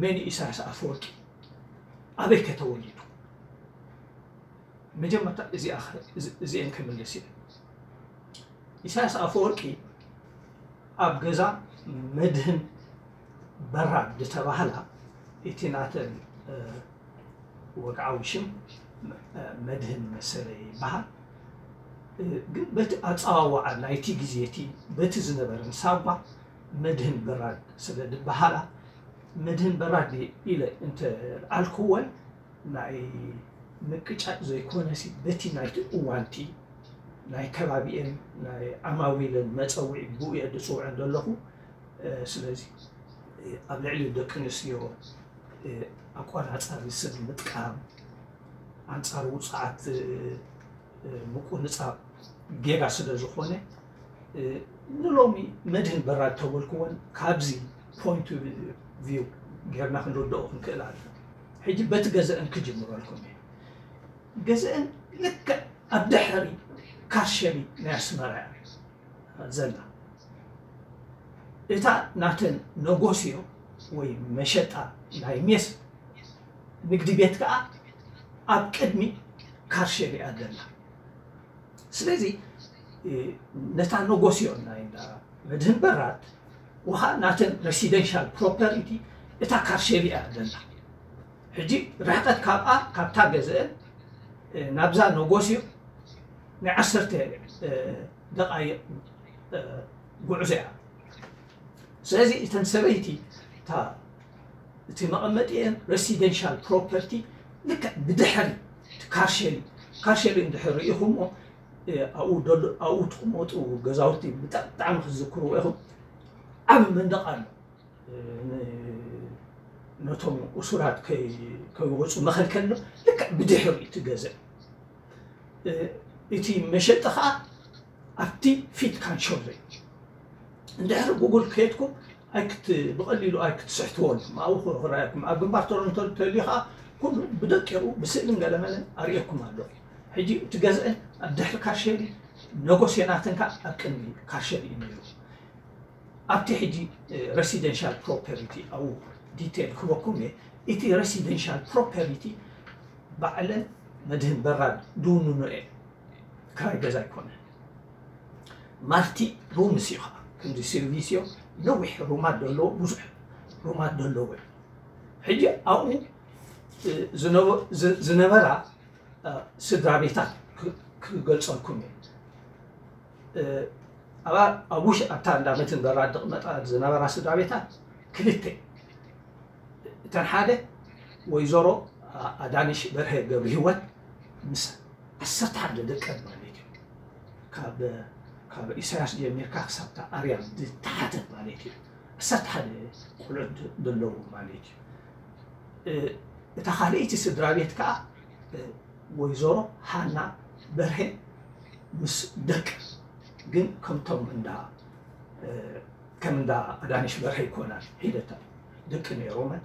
መን እዩ ኢሳያስ ኣፈወርቂ? ኣበይ ከ ተወሊዱ? መጀመርታ እዚኣ ኸ-፣ እዚ-፣ እዚኤን ክምልስ እየ። ኢሳያስ ኣፈወርቂ ኣብ ገዛ መድህን በራድ ዝተባህላ፣ እቲ ናተን፣ እ፣ ወግዓዊ ሽም፣ እ፣ መድህን መሰለ ይበሃል። እ፣ ግን በቲ ኣጸዋውዓ ናይቲ ግዜ እቲ በቲ ዝነበረን ሳጓ መድህን በራድ ስለ ዝበሃላ፣ መድህን በራድ ኢለ እንተ ኣልክወን፣ ናይ ምቅጫጭ ዘይኮነሲ፣ በቲ ናይቲ እዋንቲ ናይ ከባቢኤን ናይ ዓማዊለን መጸውዒ ብኡ እየ ዝጽውዐን ዘለኹ። እ፣ ስለዚ፣ እ፣ ኣብ ልዕሊ ደቂ ኣንስትዮ፣ እ፣ ኣቆናጻሪ ስም ምጥቃም፣ ኣንጻር ውጹዓት፣ እ፣ እ፣ ምቁንጻብ ጌጋ ስለ ዝኾነ፣ እ፣ ንሎሚ መድህን በራድ ተበልክወን ካብዚ ፖይንት ቪው ጌርና ክንርድኦ ክንክእል ኣለና። ሕጂ በቲ ገዘአን ክጅምረልኩም እየ። ገዘአን ልክዕ ኣብ ድሕሪ ካርሸሊ ናይ ኣስመራ እያ ዘላ። እታ ናተን ነጎስዮ ወይ መሸጣ ናይ ሜስ ንግዲ ቤት ከኣ ኣብ ቅድሚ ካርሸሊ እያ ዘላ። ስለዚ፣ እ፣ ነታ ነጎስዮ ናይ እንዳ መድህን በራድ ውሃ ናተን ሬሲደንሻል ፕሮፐሪቲ እታ ካርሸሊ እያ ዘላ። ሕጂ ርሕቀት ካብኣ፣ ካብታ ገዘአን፣ እ፣ ናብዛ ነጎስዮ ናይ ዓሰርተ፣ እ፣ ደቓይቕ፣ እ፣ ጉዕዞ እያ። ስለዚ እተን ሰበይቲ እታ፣ እቲ መቐመጢአን ሬሲደንሻል ፕሮፐርቲ ልክዕ ብድሕሪ እቲ ካርሸሊ፣ ካርሸሊ እንድሕር ርኢኹሞ፣ እ፣ ኣብኡ ደሎ-፣ ኣብኡ ትቕመጡ ገዛውቲ ብጣ-፣ ብጣዕሚ ክትዝክርዎ ኢኹም። ዓቢ መንደቕ ኣሎ። እ፣ ን-፣ ነቶም እሱራት ከይ-፣ ከይወጹ መኸልከሊ ኣሎ። ልክዕ ብድሕሪ እቲ ገዛ። እ፣ እቲ መሸጢ ኸኣ ኣብቲ ፊት ካንሾለ እዩ። እንድሕሪ ጉግል ከየድኩም ኣይክት-፣ ብቐሊሉ ኣይክትስሕትዎን። ኣብኡ ኽ-፣ ክረኣየኩም። ኣብ ግንባር ቶሮንቶ እንተልዩ ኸኣ ኩሉ ብደቂቑ ብስእልን ገለመለን ኣርእየኩም ኣለኹ። ሕጂ እቲ ገዝአን ኣብ ድሕሪ ካርሸሊ፣ ነጎስዮ ናተን ከኣ ኣብ ቅድሚ ካርሸሊ እዩ ነይሩ። ኣብቲ ሕጂ፣ እ፣ ሬሲደንሻል ፕሮፐርቲ ኣብኡ ዲቴል ክበኩም እየ። እቲ ሬሲደንሻል ፕሮፐርቲ ባዕለን መድህን በራድ ድውንኖ እየን። ክራይ ገዛ ኣይኮነን። ማልቲ ሩምስ እዩ ኸዓ። ከምዚ ሰርቪስዮ ነዊሕ ሩማት ዘለዎ፣ ብዙሕ ሩማት ዘለዎ እዩ። ሕጂ ኣብኡ፣ እ፣ ዝነበ-፣ ዝ-፣ ዝነበራ፣ እ፣ ስድራ ቤታት ክ-፣ ክገልጸልኩም እየ። እ፣ ኣብ፣ ኣብ ውሽ-፣ ኣብታ እንዳ መድህን በራድ ዝቕመጣ ዝነበራ ስድራ ቤታት ክልተ። እተን ሓደ ወይዘሮ ኣ-፣ ኣዳነሽ በርሀ ገብረሂወት ምስ ዓሰርተ ሓደ ደቀን ማለት እዩ። ካብ፣ ካብ ኢሳያስ ጀሚርካ ክሳብታ ኣርያም ዝተሓተት ማለት እዩ። ዓሰርተ ሓደ ቆልዑት ድ-፣ ዘለዉ ማለት እዩ። እ፣ እታ ካልኣይቲ ስድራ ቤት ከኣ፣ እ፣ ወይዘሮ ሃና በርሀ ምስ ደቀ፣ ግን ከምቶም እንዳ፣ እ፣ ከም እንዳ ኣዳነሽ በርሀ ኣይኮናን፣ ሒደታ ደቂ ነይሮመን።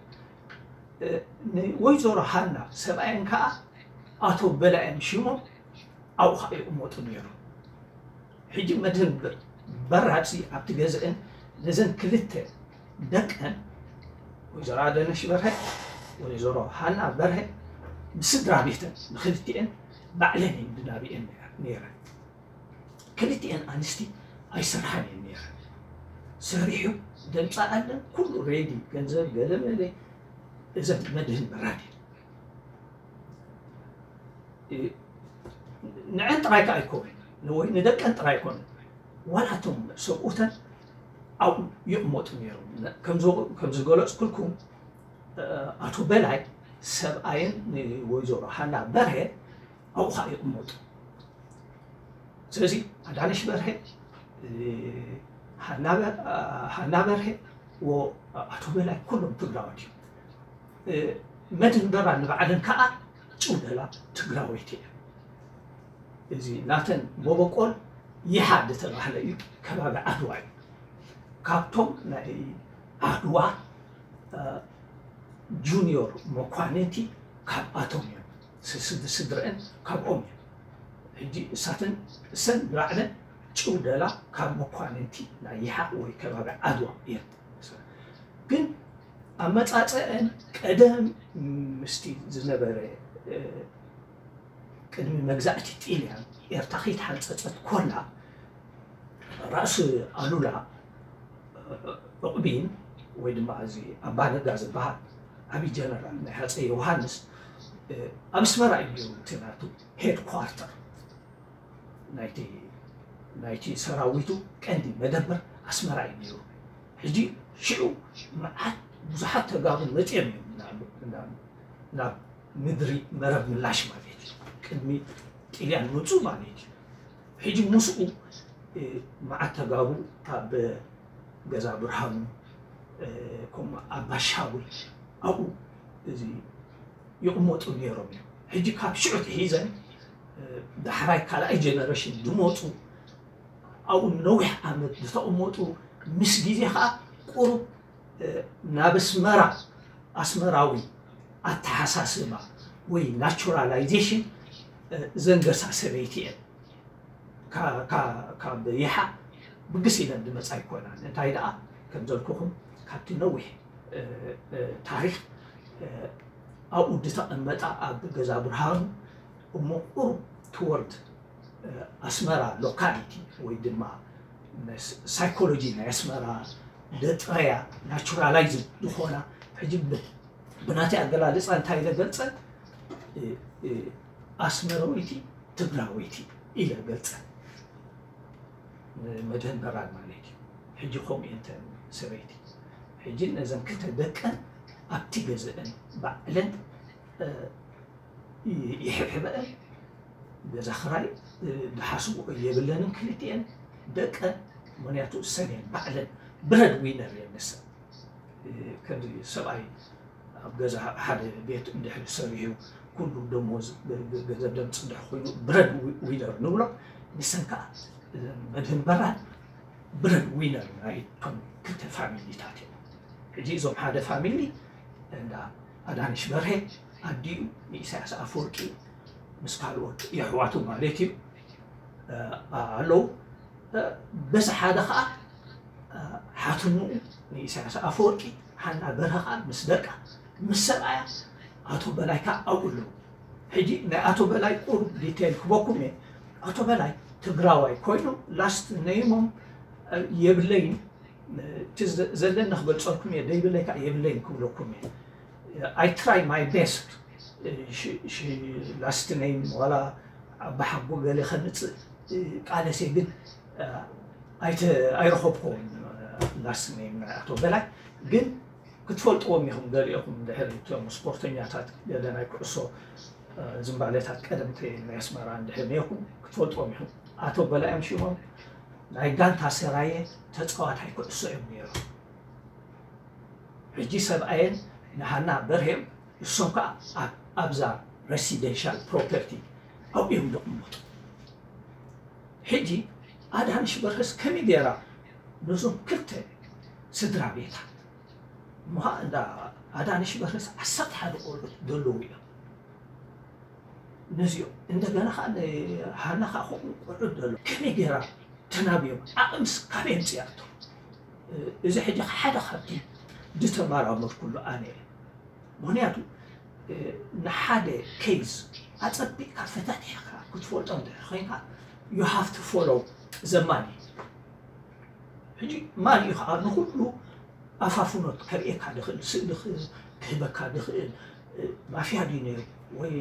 እ፣ ንወይዘሮ ሃና ሰብኣየን ከኣ ኣቶ በላየን ሽሞም ኣብኡ ኸኣ ይቕመጡ ነይሮም። ሕጂ መድህን በ-፣ በራድሲ ኣብቲ ገዝአን ነዘን ክልተ ደቀን፣ ወይዘሮ ኣዳነሽ በርሀ፣ ወይዘሮ ሃና በርሀ፣ ብስድራ ቤተን ንክልቲኤን ባዕለን እየን ድናቢኤን ነይረን። ክልቲኤን ኣንስቲ ኣይሰርሓን እየን ነይረን። ሰሪሑ ደምፃ ኣለን፣ ኩሉ ሬዲ፣ ገንዘብ ገለመለ፣ እዘን መድህን በራድ እየን። እ፣ ንዐን ጥራይ ከኣ ኣይኮነን፣ ንወይ-፣ ንደቀን ጥራይ ኣይኮነን። ዋላ እቶም ሰብኡተን ኣብኡ ይቕመጡ ነይሮም። ነ-፣ ከምዚ-፣ ከምዝገለጽኩልኩም፣ እ፣ ኣቶ በላይ ሰብኣየን ንወይዘሮ ሃና በርሀ ኣብኡ ኸኣ ይቕመጡ። ስለዚ ኣዳነሽ በርሀ፣ እ፣ ሃና በ-፣ ሃና በርሀ ወኣቶ በላይ ኩሎም ትግራዎት እዮም። እ፣ መድህን በራድ ንባዕለን ከኣ ጭውደላ ትግራወይቲ እየን። እዚ ናተን መበቆል ይሓ ዝተባህለ እዩ፣ ከባቢ ዓድዋ እዩ። ካብቶም ናይ ዓድዋ፣ እ፣ ጁኒዮር መኳንንቲ ካብኣቶም እዮም። ስ-፣ ስድ-፣ ስድረአን ካብኦም እዮም። ሕጂ እሳተን፣ እሰን ንባዕለን ጭውደላ ካብ መኳንንቲ ናይ ይሓ ወይ ከባቢ ዓድዋ እየን። ግን ኣመጻጸአን ቀደም ምስቲ ዝነበረ ቅድሚ መግዛእቲ ጢልያን ኤርትራ ከይተሓንጸጸት ኮላ ራእሲ ኣሉላ ዑቕቢን ወይ ድማ እዚ ኣባነጋ ዝበሃል ዓብዪ ጀነራል ናይ ሃፀይ ዮሃንስ ኣብ ኣስመራ እዩ ነይሩ። እቲ ናቱ ሄድኳርተር ናይቲ ናይቲ ሰራዊቱ ቀንዲ መደበር ኣስመራ እዩ ነይሩ። ሕጂ ሽዑ መዓት ብዙሓት ተጋሩ መፅኦም እዮም ናብ ምድሪ መረብ ምላሽ ማለት እዩ። ቅድሚ ጥልያን ምፁ ማለት እዩ። ሕጂ ምስኡ መዓት ተጋሩ ኣብ ገዛ ብርሃኑ ከምኡ ኣባሻውል ኣብኡ እዚ ይቕመጡ ነይሮም እዮም። ሕጂ ካብ ሽዑ ሒዘን ዳሕራይ ካልኣይ ጀነሬሽን ዝመፁ ኣብኡ ነዊሕ ዓመት ዝተቐመጡ ምስ ግዜ ከዓ ቁሩብ ናብ ኣስመራ ኣስመራዊ ኣተሓሳስባ ወይ ናቹራላይዜሽን ዘንገሳ ሰበይቲ እየን። ካብ ይሓ ብግስ ኢለን ዝመፃ ኣይኮናን። እንታይ ደኣ ከም ዘልኩኹም ካብቲ ነዊሕ ታሪክ ኣብኡ ዝተቐመጣ ኣብ ገዛ ብርሃኑ እሞ ቁሩብ ትወርድ ኣስመራ ሎካሊቲ ወይ ድማ ሳይኮሎጂ ናይ ኣስመራ ደጥረያ ናቹራላይዝ ዝኾና ሕጂ ብናተይ ኣገላልፃ እንታይ ኢለ ገልፀ ኣስመራወይቲ ትግራወይቲ ኢለ ገልፀ መድህን በራድ ማለት እዩ። ሕጂ ከምኡ እየን እተን ሰበይቲ ሕጂ ነዘን ክልተ ደቀን ኣብቲ ገዝአን ባዕለን ይሕብሕበአን ገዛ ክራይ ዝሓስብኦ የብለንን ክልቲኤን ደቀን። ምክንያቱ እሰን እየን ባዕለን ብረድ ዊነር እየን ንሰን ከምዚ ሰብኣይ ኣብ ገዛ ሓደ ቤት እንድሕር ሰሪሑ ኩሉ ደሞዝ ገንዘብ ደምፅ እንድሕር ኮይኑ ብረድ ዊነር ንብሎ። ንሰን ከዓ መድህን በራድ ብረድ ዊነር ናይ እቶም ክልተ ፋሚሊታት እዮም። ሕጂ እዞም ሓደ ፋሚሊ እንዳ ኣዳነሽ በርሄ ኣዲኡ ንኢሳያስ ኣፈወርቂ ምስ ካልኦት የሕዋቱ ማለት እዩ ኣለዉ። በዚ ሓደ ከዓ ሓትንኡ ንኢሳያስ ኣፈወርቂ ሓና በርሀ ከዓ ምስ ደቃ ምስ ሰብኣያ ኣቶ በላይ ከዓ ኣብኡ ኣለዉ። ሕጂ ናይ ኣቶ በላይ ቁሩብ ዲቴይል ክበኩም እየ። ኣቶ በላይ ትግራዋይ ኮይኖም ላስት ነይሞም የብለይን እቲ ዘለኒ ክገልፀልኩም እየ ደይብለይ ከዓ የብለይን ክብለኩም እየ። I try my best ላስት ነይም ዋላ ኣባሓጎ ገለ ከምፅእ ቃለሴ ግን ኣይረኸብኩዎን ላስት ነይም ናይ ኣቶ በላይ ግን ክትፈልጥዎም ኢኹም ገሊኦኹም ድሕሪ እቶም ስፖርተኛታት ገለ ናይ ኩዕሶ ዝንባሌታት ቀደምቲ ናይ ኣስመራ እንድሕር ነይርኩም ክትፈልጥዎም ኢኹም። ኣቶ በላዮም ሽሞም ናይ ጋንታ ሰራየ ተፃዋታይ ኩዕሶ እዮም ነይሮም። ሕጂ ሰብኣየን ንሃና በርሄም እሶም ከዓ ኣብዛ ሬሲደንሻል ፕሮፐርቲ ኣብኡ እዮም ዝቕመጡ። ሕጂ ኣዳነሽ በርሀስ ከመይ ገይራ ነዞም ክልተ ስድራ ቤታት እሞ ከዓ እንዳ ኣዳነሽ በርሀስ ዓሰርተ ሓደ ቆልዑት ዘለዉ እዮም። ነዚኦም እንደገና ከዓ ንሃና ከዓ ከምኡ ቆልዑት ዘሎ ከመይ ገይራ ተናብዮም ዓቕምስ ካበይ ኣምፅኣቶ? እዚ ሕጂ ሓደ ካብቲ ዝተመራመርኩሉ ኣነ እየ። ምክንያቱ ንሓደ ኬዝ ኣፀቢቕካ ፈታቲሕካ ክትፈልጦ እንድሕር ኮይንካ you have to follow the money። ሕጂ ማን እዩ ከዓ ንኩሉ ኣፋፍኖት ከርእየካ ድኽእል ስእሊ ክህበካ ድኽእል ማፍያ ድዩ ነይሩ ወይ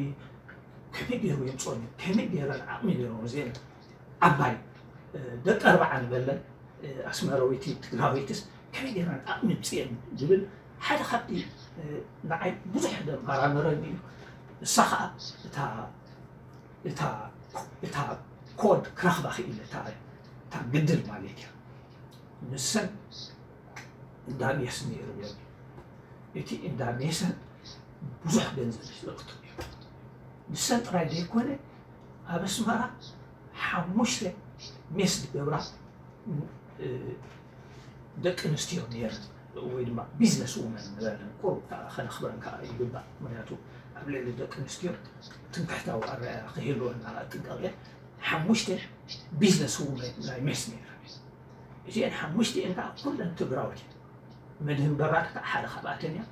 ከመይ ገይሩ የምፅኦ ከመይ ገይረን ዓቕሚ ነይሮም እዚአን ዓባይ ደቂ ኣርባዓ ንበለን ኣስመራዊቲ ትግራዊትስ ከመይ ገይረን ዓቕሚ ምፅየን ዝብል ሓደ ካብቲ ንዓይ ብዙሕ ደማራመረኒ እዩ። እሳ ከዓ እታ እታ እታ ኮድ ክረኽባ ክኢለ እታ እታ ግድል ማለት እያ። ንሰን እንዳ ሜስ ነይርወን እቲ እንዳ ሜሰን ብዙሕ ገንዘብ ዝለቅጡ እዩ። ንሰን ጥራይ ዘይኮነ ኣብ ኣስመራ ሓሙሽተ ሜስ ዝገብራ ደቂ ኣንስትዮ ነይረን ወይ ድማ ቢዝነስ ውመን ንበለን ቁሩብ ከነኽብረን ከዓ ይግባእ። ምክንያቱ ኣብ ልዕሊ ደቂ ኣንስትዮ ትምክሕታዊ ኣረኣእያ ክህልወና ጥንቀቕ እየ። ሓሙሽተ ቢዝነስ ውመን ናይ ሜስ ነይረን። እዚአን ሓሙሽቲአን ከዓ ኩለን ትግራዎት እየን። መድህን በራድ ከዓ ሓደ ካብኣተን እያ።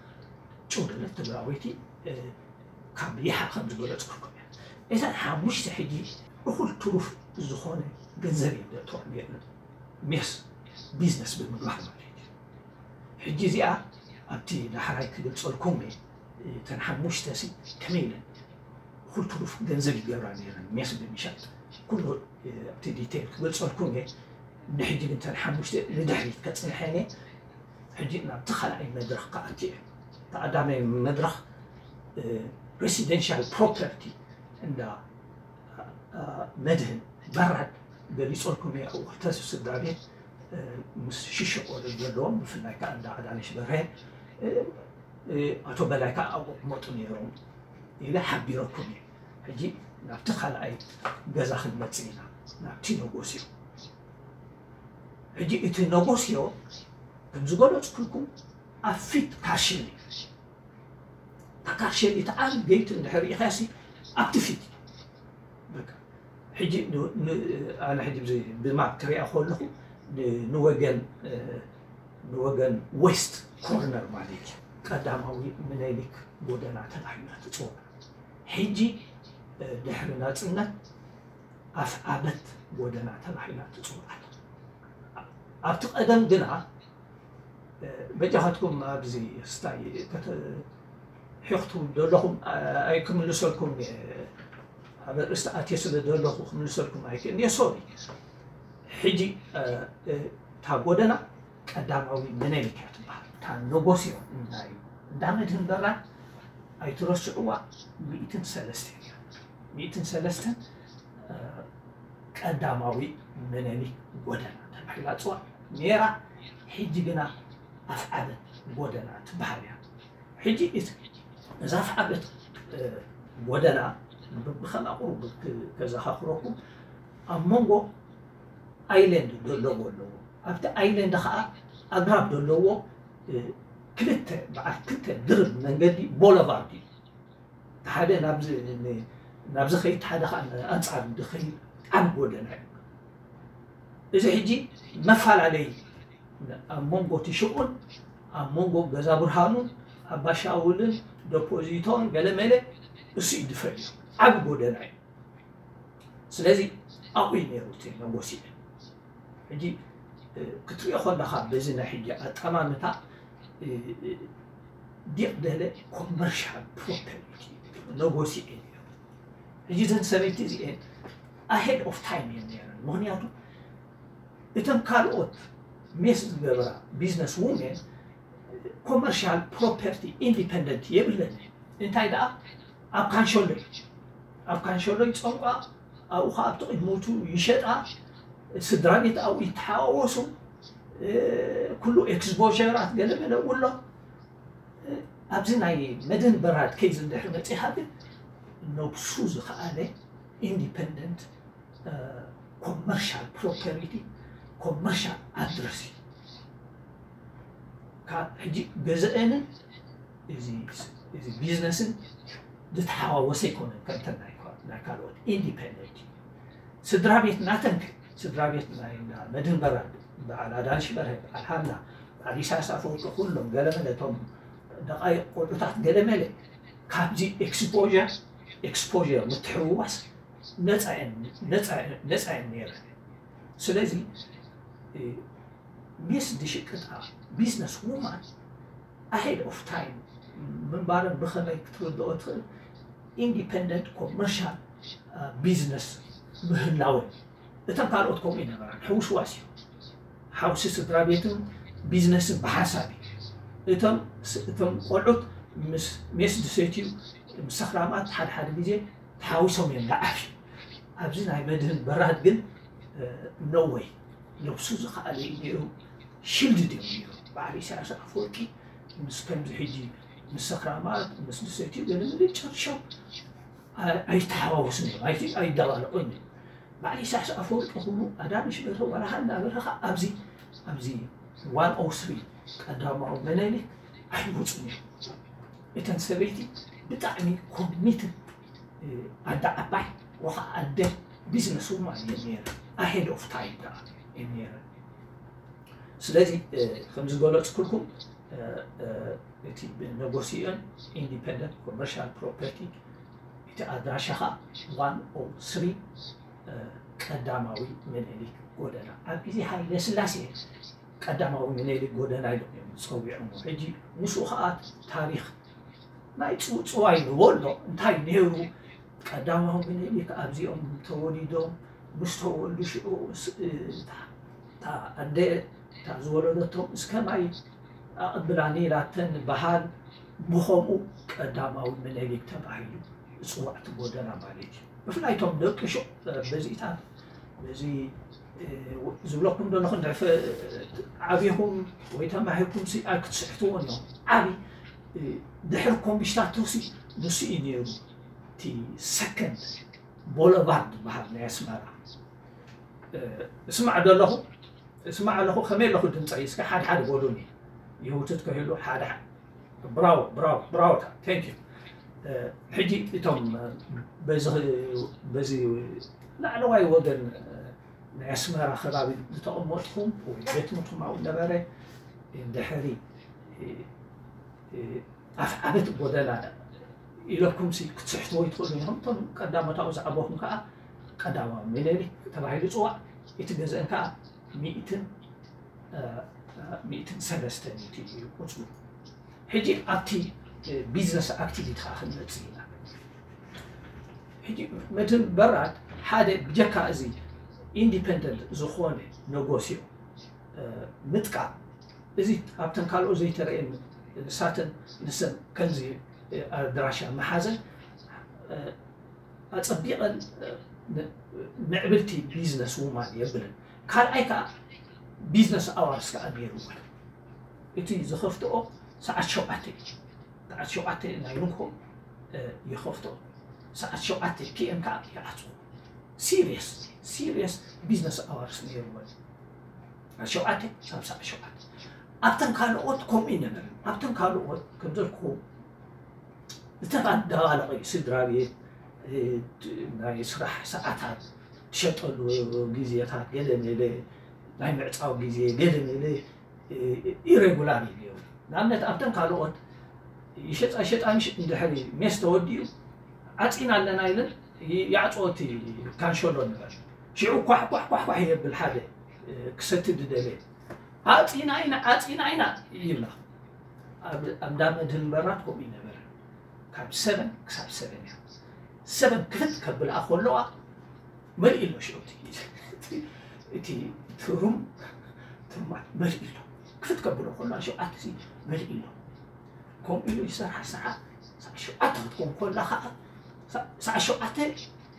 ጭውደለት ትግራወይቲ ካብ ይሓ ከም ዝገለፅኩልኩም እያ። እተን ሓሙሽተ ሕጂ እኹል ትሩፍ ዝኾነ ገንዘብ እዮም ዘእተዎም ነይረን፣ ሜስ ቢዝነስ ብምግባር ማለት እዩ። ሕጂ እዚኣ ኣብቲ ዳሕራይ ክገልፀልኩም እየ። እተን ሓሙሽተ ሲ ከመይ ኢለን እኹል ትሩፍ ገንዘብ ይገብራ ነይረን ሜስ ብምሻጥ፣ ኩሉ ኣብቲ ዲቴይል ክገልፀልኩም እየ። ንሕጂ ግን እተን ሓሙሽተ ንድሕሪት ከፅንሐን እየ። ሕጂ ናብቲ ካልኣይ መድረኽ ክኣቲ እየ። እቲ ቀዳማይ መድረኽ ሬሲደንሻል ፕሮፐርቲ እንዳ መድህን በራድ ገሊፀልኩም እየ። ኣብኡ ክልተ ስድራ ቤት ምስ ሽሽቆ ዘለዎም፣ ብፍላይ ከዓ እንዳ ኣዳነሽ በርሀ፣ ኣቶ በላይ ከዓ ኣብኡ ክመጡ ነይሮም ኢለ ሓቢረኩም እየ። ሕጂ ናብቲ ካልኣይ ገዛ ክንመፅእ ኢና፣ ናብቲ ነጎስዮ። ሕጂ እቲ ነጎስዮ ከም ዝገለፅኩልኩም ኣብ ፊት ካርሸሊ፣ እታ ካርሸሊ እቲ ዓቢ ገይት እንድሕር ርኢኻሲ ኣብቲ ፊት እዩ። በቃ ሕጂ ን- ን- ኣነ ሕጂ ብዚ- ብማፕ ክሪኣ ከለኹ ን- ንወገን እ፣ ንወገን ዌስት ኮርነር ማለት እዩ። ቀዳማዊ ምኒልክ ጎደና ተባሂላ ትፅዋዕ። ሕጂ እ፣ ድሕሪ ናፅነት ኣፍዓበት ጎደና ተባሂላ ትፅዋዕ። ኣብቲ ቀደም ግና በጃኻትኩም ኣብዚ ስታይ ሒኽቱ ዘለኹም ኣይክምልሰልኩም እየ። ኣብ ርእስቲ ኣትየ ስለ ዘለኹ ክምልሰልኩም ኣይክእልን እየ። ሶሪ። ሕጂ እታ ጎደና ቀዳማዊ ምኒልክ እያ ትበሃል። እታ ነጎስዮ ናይ እንዳ መድህን በራድ ኣይትረስዕዋ። ሚእትን ሰለስተን እያ። ሚእትን ሰለስተን ቀዳማዊ ምኒልክ ጎደና ተባሂላ ትፅዋዕ ነይራ። ሕጂ ግና ኣፍዓበት ጎደና ትበሃል እያ። ሕጂ እዛ ኣፍዓበት ጎደና ብከም ኣቁሩብ ከዘኻኽረኩም፣ ኣብ መንጎ ኣይለንድ ዘለዎ ኣለዎ። ኣብቲ ኣይለንድ ከዓ ኣግራብ ዘለዎ ክልተ በዓል ክልተ ድርብ መንገዲ ቦለቫርድ እዩ። ሓደ ናብዚ ዝኸይድ ሓደ ከዓ ኣንፃር ዝኸይድ ዓብ ጎደና እዩ። እዚ ሕጂ መፈላለይ ኣብ መንጎ እቲ ሽቁን ኣብ መንጎ ገዛ ብርሃኑን ኣባሻውልን ደፖዚቶን ገለመለ እሱ እዩ ዝፈልዩ ዓብ ጎደና እዩ። ስለዚ ኣብኡ እዩ ነይሩ እቲ ነጎሲኤ። ሕጂ ክትሪኦ ከለኻ በዚ ናይ ሕጂ ኣጠማምታ ዲቕ ደለ ኮመርሻል ፕሮፐርቲ ነጎሲኤ ነይሩ። ሕጂ እዘን ሰበይቲ እዚኤን ኣሄድ ኦፍ ታይም እየን ነይረን። ምክንያቱ እተን ካልኦት ሜስ ዝገብራ ቢዝነስ ውሜን ኮመርሻል ፕሮፐርቲ ኢንዲፐንደንት የብለን። እንታይ ደኣ ኣብ ካንሸሎ እዩ። ኣብ ካንሸሎ ይፀምቋ፣ ኣብኡ ከዓ ኣብቲ ቅድሞቱ ይሸጣ። ስድራ ቤት ኣብኡ ይተሓዋወሱ። ኩሉ ኤክስፖራት ገለመለ እውን ኣሎ። ኣብዚ ናይ መድህን በራድ ኬዝ እንድሕር መፂኻ ግን ነብሱ ዝኸኣለ ኢንዲፐንደንት ኮመርሻል ፕሮፐርቲ ኮመርሻል ኣድረስ እዩ። ካብ ሕጂ ገዘአንን እዚ ቢዝነስን ዝተሓዋወሰ ኣይኮነን። ከምተን ናይ ካልኦት ኢንዲፐንደንት እዩ። ስድራ ቤት ናተን፣ ስድራ ቤት ናይ መድህን በራድ፣ በዓል ኣዳነሽ በርሀ፣ በዓል ሃና፣ በዓል ኢሳያስ ኣፈወርቂ፣ ኩሎም ገለመለ እቶም ደቃይቕ ቆልዑታት ገለመለ ካብዚ ኤክስፖር ኤክስፖር ምትሕውዋስ ነፃ እየን ነይረን። ስለዚ ሜስ ዝሽቅጣ ቢዝነስ ውማን ኣሄድ ኦፍ ታይም ምንባረን ብኸመይ ክትርድኦ ትኽእል? ኢንዲፐንደንት ኮመርሻል ቢዝነስ ምህላወን። እተን ካልኦት ከምኡ ይነበራን ሕውስዋስ እዩ። ሓውሲ ስድራ ቤትን ቢዝነስን ብሓንሳብ እዩ። እቶም እቶም ቆልዑት ምስ ሜስ ዝሰትዩ ምስ ሰኽራማት ሓደ ሓደ ግዜ ተሓዊሶም እዮም ዝዓፍዩ። ኣብዚ ናይ መድህን በራድ ግን ኖወይ ነብሱ ዝኸኣለ እዩ ነይሩ። ሽልድ ድዮም ነይሩ። በዓል ኢሳያስ ኣፈወርቂ ምስ ከምዚ ሕጂ ምስ ሰኽራማት ምስ ዝሰትዩ ገለ መለ ጨርሾም ኣይተሓዋወሱን እዮም። ኣይደባለቑን እዮም። በዓል ኢሳያስ ኣፈወርቂ ኩሉ ኣዳነሽ በርሀ ዋላ ሃና በርሀ ኣብዚ ኣብዚ ዋን ኦ ስሪ ቀዳማዊ መነሊክ ኣይወፁን እዮም። እተን ሰበይቲ ብጣዕሚ ኮሚትድ ኣደ ዓባይ ወኻ ኣደ ቢዝነስ ውማን እየን ነይረን። ኣሄድ ኦፍ ታይም ከዓ እየን ነይረን። ስለዚ ከም ዝገለፅኩልኩም እቲ ብነጎሲዮን ኢንዲፐንደንት ኮመርሻል ፕሮፐርቲ እቲ ኣድራሻኻ ዋን ኦ ስሪ ቀዳማዊ ምኒልክ ጎደና ኣብ ግዜ ሃይለ ስላሴ ቀዳማዊ ምኒልክ ጎደና ኢሎም እዮም ዝፀዊዖሞ። ሕጂ ንሱ ከዓ ታሪክ ናይ ፅውፅዋይ ንበሎ እንታይ ነይሩ ቀዳማዊ ምኒልክ ኣብዚኦም ተወሊዶም ምስ ተወልዱ ሽዑ እታ ኣደ እታ ዝወለደቶም እስከ ማይ ኣቐብላኒ ኢላተን በሃል ብኸምኡ ቀዳማዊ ምኒልክ ተባሂሉ ዝፅዋዕ እቲ ጎደና ማለት እዩ። ብፍላይ እቶም ደቂ ሹቕ በዚታት በዚ ዝብለኩም ዘለኹ ዓብኹም ወይ ተማሂርኩም ሲ ኣይክትስሕትዎን እዮም። ዓቢ ድሕሪ ኮምቢሽታቶሲ ንሱ እዩ ነይሩ እቲ ሰከንድ ቦለቫርድ ዝበሃል ናይ ኣስመራ። እስማዕ ደለኹ እስማዕ ኣለኹ ከመይ ኣለኹ ድምፀይ እስከ ሓደ ሓደ በሉኒ። ይህውትት ከይሉ ሓደ ሓደ ብራው ብራው ብራው። Thank you። ሕጂ እቶም በዚ ላዕለዋይ ወገን ናይ ኣስመራ ከባቢ ዝተቐመጥኩም ወይ ቤት ትምህርትኩም ኣብኡ ነበረ ድሕሪ ኣፍ ዓበት ጎደና ኢለኩም ሲ ክትስሕትዎ ይትኽእሉ ኢኹም። እቶም ቀዳሞት ኣብኡ ዝዓበኹም ከዓ ቀዳማዊ ምኒልክ ተባሂሉ ይፅዋዕ። እቲ ገዝአን ከዓ ሚእትን ሚእትን ሰለስተን እዩ ቁፅሩ። ሕጂ ኣብቲ ቢዝነስ ኣክቲቪቲ ከዓ ክንመፅእ ኢና። ሕጂ መድህን በራድ ሓደ ብጀካ እዚ ኢንዲፐንደንት ዝኾነ ነጎሲዮ ምጥቃም እዚ ኣብተን ካልኦት ዘይተረእየን ንሳተን ንሰን ከምዚ ኣድራሻ መሓዘን ኣፀቢቐን ምዕብልቲ ቢዝነስ ውማን የብልን። ካልኣይ ከዓ ቢዝነስ ኣዋርስ ከዓ ነይሩ። እቲ ዝኸፍትኦ ሰዓት ሸውዓተ እዩ። ሰዓት ሸውዓተ ናይ ንግሆ ይኸፍትኦ። ሰዓት ሸውዓተ ፒ ኤም ከዓ ይዓፅዎ። ሲሪየስ ሲሪየስ ቢዝነስ ኣዋርስ ነይርዎ። ሸውዓተ ሳብ ሰዓት ሸውዓተ ኣብተን ካልኦት ከምኡ ይነበረ። ኣብተን ካልኦት ከም ዘልኩ ዝተዳባለቐ እዩ ስድራ ቤት ናይ ስራሕ ሰዓታት ትሸጠሉ ግዜታት ገለ መለ ናይ ምዕፃው ግዜ ገለ መለ ኢሬጉላር እዩ ነይሩ። ንኣብነት ኣብተን ካልኦት ይሸጣ ይሸጣ ምሽ እንድሕሪ ሜስ ተወዲኡ ዓፂና ኣለና ኢለን ይዓፅዎ እቲ ካንሸሎ ንበል። ሽዑ ኳሕ ኳሕ ኳሕ ኳሕ የብል ሓደ ክሰቲ ዝደለ ዓፂና ኢና ዓፂና ኢና ይብላ። ኣብ እንዳ መድህን በራድ ከምኡ ይነበረ። ካብ ሰበን ክሳብ ሰበን እያ። ሰበን ክፍት ከብልኣ ከለዋ መሊእ ኣሎ ሽዑ እቲ ትሩም ትሩማት መሊእ ኣሎ። ክፍት ከብሎ ከለዋ ሸውዓተ ሲ መሊእ ኣሎ። ከምኡ ኢሉ ይሰርሓ ሰዓ ሰዓ ሸውዓተ ክትኮን ከላ ከዓ ሰዓ ሸውዓተ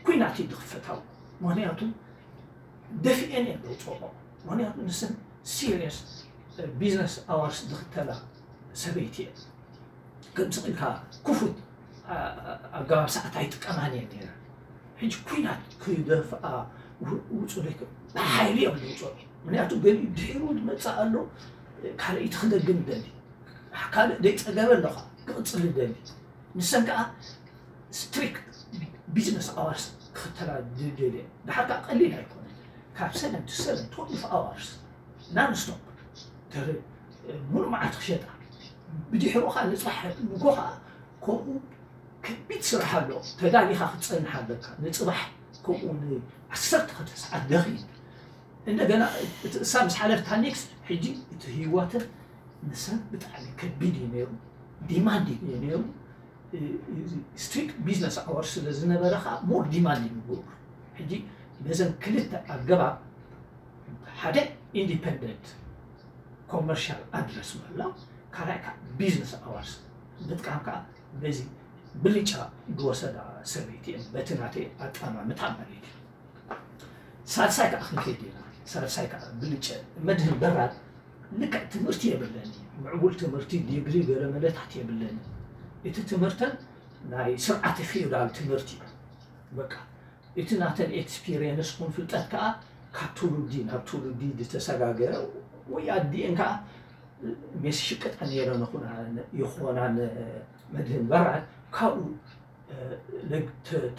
ኩናት እዩ ዝኽፈታው። ምክንያቱ ደፊኤን እየን ዘውፅኦ። ምክንያቱ ንሰን ሲሪየስ ቢዝነስ ኣዋርስ ዝኽተላ ሰበይቲ እየን። ከምዚ ኢልካ ክፉት ኣገባብ ሰዓት ኣይጥቀማን እየን ነይረን። ሕጂ ኩናት ክደፍኣ ውፁ ብሓይሊ እዮም ዝውፅኦ። ምክንያቱ ገሊኡ ድሒሩ ዝመፅእ ኣሎ ካልኣይቲ ክደግም ይደሊ ካልእ ዘይፀገበ ኣለኻ ክቕፅል ይደሊ። ንሰን ከዓ ስትሪክት ቢዝነስ ኣዋርስ ክኽተላ ዝደልየ ድሓር ከዓ ቀሊል ኣይኮነን። ካብ ሰቨን ቱ ሰቨን ትወልፍ ኣዋርስ ናንስቶፕ ሙሉእ መዓልቲ ክሸጣ ብድሕሩ ከዓ ንፅባሕ ንጎ ከዓ ከምኡ ከቢድ ስራሕ ኣሎ። ተዳሊኻ ክትፀንሕ ኣለካ ንፅባሕ ከምኡ ንዓሰርተ ክልተ ሰዓት ደኺም እንደገና እቲ እሳ ምስ ሓለፍታ ኔክስት ሕጂ እቲ ህይወትን ንሰብ ብጣዕሚ ከቢድ እዩ ነይሩ። ዲማንድ እዩ ነይሩ። ስትሪክት ቢዝነስ ኣወር ስለ ዝነበረ ከዓ ሞር ዲማንድ ይግብሩ። ሕጂ ነዘን ክልተ ኣገባብ ሓደ ኢንዲፐንደንት ኮመርሻል ኣድረስ ምህላው ካልኣይ ከዓ ቢዝነስ ኣዋርስ ምጥቃም ከዓ በዚ ብልጫ ዝወሰዳ ሰበይቲ እየን በቲ ናተይ ኣጠማምታ ማለት እዩ። ሳልሳይ ከዓ ክንከይድ ኢና። ሳልሳይ ከዓ ብልጨ መድህን በራድ ልክዕ ትምህርቲ የብለኒ ምዕቡል ትምህርቲ ዲግሪ ገለ መለታት የብለኒ። እቲ ትምህርተን ናይ ስርዓተ ፊውዳል ትምህርቲ እዩ። በቃ እቲ ናተን ኤክስፒሪየንስ ኩን ፍልጠት ከዓ ካብ ትውልዲ ናብ ትውልዲ ዝተሰጋገረ ወይ ኣዲኤን ከዓ ሜስ ሽቅጣ ነይረ ይኾና መድህን በራድ ካብኡ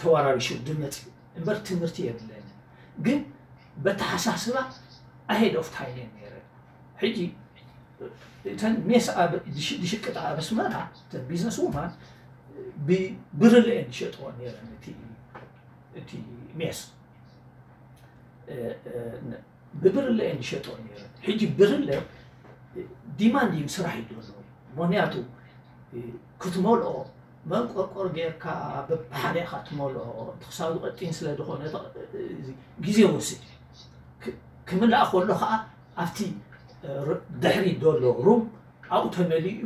ተወራሪሹ ድመፅ እምበር ትምህርቲ የብለኒ ግን በተሓሳስባ ኣሄድ ኦፍ ታይም እየ ነይረ። ሕጂ እተን ሜስ ኣብ ድሽ- ድሽቅጥ ኣብ ኣስመራ እተን ቢዝነስ ውማን ብብርለ እየን ዝሸጥዎ ነይረን። እቲ እቲ ሜስ እ፣ እ፣ ን- ብብርለ እየን ዝሸጥዎ ነይረን። ሕጂ ብርለ ዲማንዲንግ ስራሕ እዩ ዘሎ። ምክንያቱ እ፣ ክትመልኦ መንቆርቆር ጌርካ በብሓደ ኢኻ ትመልኦ። እቲ ክሳብ ዝቐጢን ስለ ዝኾነ እቲ፣ እዚ ግዜ ወስድ እዩ። ክ- ክምላእ ከሎ ከዓ ኣብቲ እ፣ ር- ድሕሪት ዘሎ ሩም ኣብኡ ተመሊኡ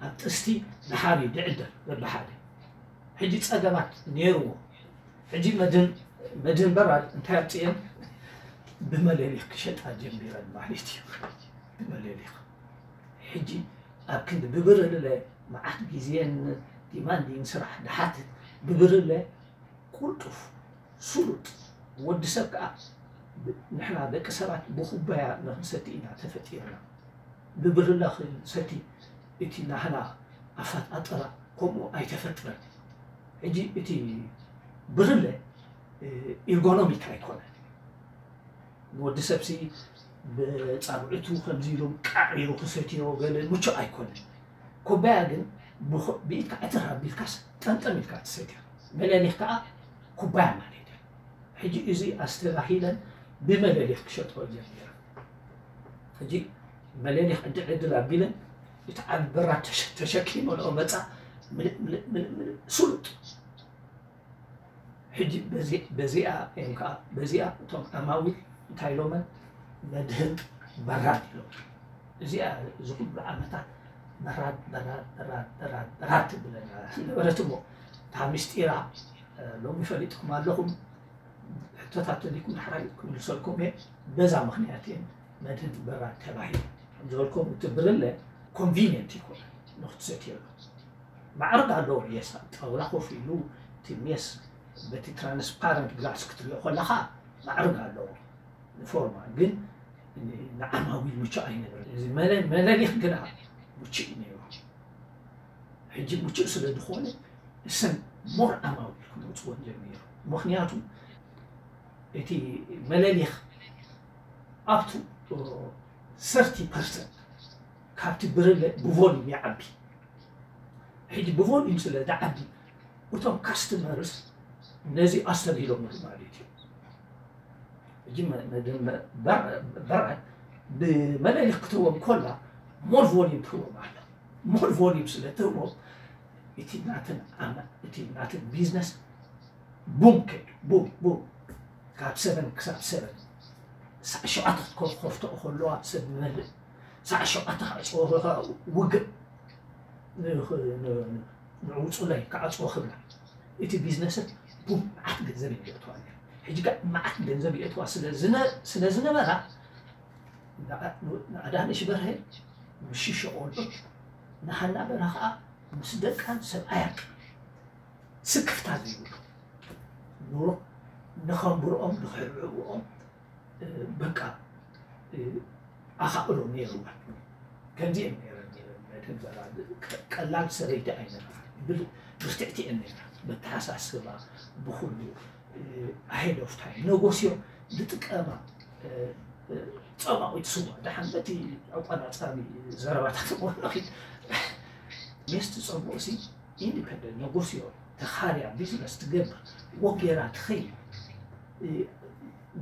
ኣብ ጥስቲ ድሓር እዩ ድዕደል በብሓደ። ሕጂ ጸገማት ነይርዎ። ሕጂ መድህን መድህን በራድ እንታይ ኣምፅኤን ብመለሊኽ ክሸጣ ጀሚረን ማለት እዩ። ብመለሊኽ ሕጂ ኣብ ክንዲ ብብርለ መዓት ግዜን ዲማንዲንግ ስራሕ ድሓትት ብብርለ ቁልጡፍ ስሉጥ ወዲ ሰብ ከዓ ብ- ንሕና ደቂ ሰባት ብኩባያ ንክንሰቲ ኢና ተፈጢርና። ብብርለ ክንሰቲ እቲ ናህና ኣፈጣጥራ ከምኡ ኣይተፈጥረን። ሕጂ እቲ ብርለ እ፣ ኢርጎኖሚክ ኣይኮነን። ንወዲ ሰብሲ ብፃብዕቱ ከምዚ ኢሎም ቃዒሩ ክሰትዮ ገለ ምቹእ ኣይኮነን። ኩባያ ግን ብኹ- ብኢድካ ዕትር ኣቢልካስ ጠምጠም ኢልካ ትሰትያ። መለሊኽ ከዓ ኩባያ ማለት እዩ። ሕጂ እዚ ኣስተባሂለን ብመለሊኽ ክሸጥኦ ጀሚረ። ሕጂ መለሊኽ ዕድል ዕድል ኣቢለን እቲ ዓቢ በራድ ተሸ- ተሸኪመንኦ መፃ። ምልእ ምልእ ምልእ ምልእ ስሉጥ። ሕጂ በዚ- በዚኣ እዮም ከዓ በዚኣ እቶም ዓማዊል እንታይ ኢሎመን መድህን በራድ ኢሎም። እዚኣ እዚ ኩሉ ዓመታት በራድ በራድ በራድ በራድ በራድ ትብለና ነበረት እሞ እታ ምስጢራ እ፣ ሎሚ ፈሊጥኩም ኣለኹም። ሕቶታት ተሊኩም ድሕራይ ክምልሰልኩም እየ። በዛ ምክንያት እየን መድህን በራድ ተባሂሉ። ከምዝበልኩም እቲ ብርለ ኮንቪኒየንት ይኮነ ንክትሰትየሉ ማዕርግ ኣለዎ። ሜስ ኣብ ጣውላ ኮፍ ኢሉ እቲ ሜስ በቲ ትራንስፓረንት ግላስ ክትሪኦ ከለካ ማዕርግ ኣለዎ። ንፎርማ ግን ንዓማዊል ምቹእ ኣይነበረ። እዚ መለ- መለሊኽ ግና ምቹእ እዩ ነይሩ። ሕጂ ምቹእ ስለ ዝኾነ እሰን ሞር ዓማዊል ክመፅወን ጀሚሩ። ምክንያቱ እቲ መለሊኽ ኣብቱ ሰርቲ ፐርሰንት ካብቲ ብርለ ብቮሊም ይዓቢ። ሕጂ ብቮሊም ስለ ዝዓቢ እቶም ካስተመርስ ነዚ ኣስተብሂሎምሉ ማለት እዩ። ሕጂ መ- መ- መ- በረ- በረ ብመለሊኽ ክትህቦም ኮላ ሞር ቮሊም ትህቦም ኣላ። ሞር ቮሊም ስለ ትህቦም እቲ ናትን ዓመ- እቲ ናትን ቢዝነስ ቡም ከይዱ ቡም ቡም ካብ ሰበን ክሳብ ሰበን ሳዕ ሸውዓተ ክትከፍትኦ ከለዋ ሰብ ይመልእ። ሳዕ ሸውዓተ ክዕፅዎ ከለዋ ውግእ ንውፁለይ ክዓፅዎ ክብላ እቲ ቢዝነስን ቡም መዓት ገንዘብ የእትዋ ነይሩ። ሕጂ ከዓ መዓት ገንዘብ የእትዋ ስለ ዝነ- ስለ ዝነበራ ንኣዳነሽ በርሀ ምስ ሽሸ ቆልዑት ንሃና በርሀ ከዓ ምስ ደቃን ሰብኣያን ስክፍታ ዘይብሉ ኑሮ ንኸንብርኦም ንኽሕብሕብኦም በቃ ኣኻእሎ ነይርዋ። ከምዚአን ነይረን መድህን በራድ ቀላል ሰበይቲ ኣይነበራ። ብርትዕቲ እየን ነይራ በተሓሳስባ ብኩሉ ኣሄድ ኦፍ ታይም ነጎስዮ ዝጥቀማ ጸማዊት ስዋ ደሓን በቲ ኣቋናጻቢ ዘረባታት ወለኺ ሜስቲ ጸምኦ ሲ ኢንዲፐንደንት ነጎስዮ ተኻርያ ቢዝነስ ትገብር ወጌራ ትኸይድ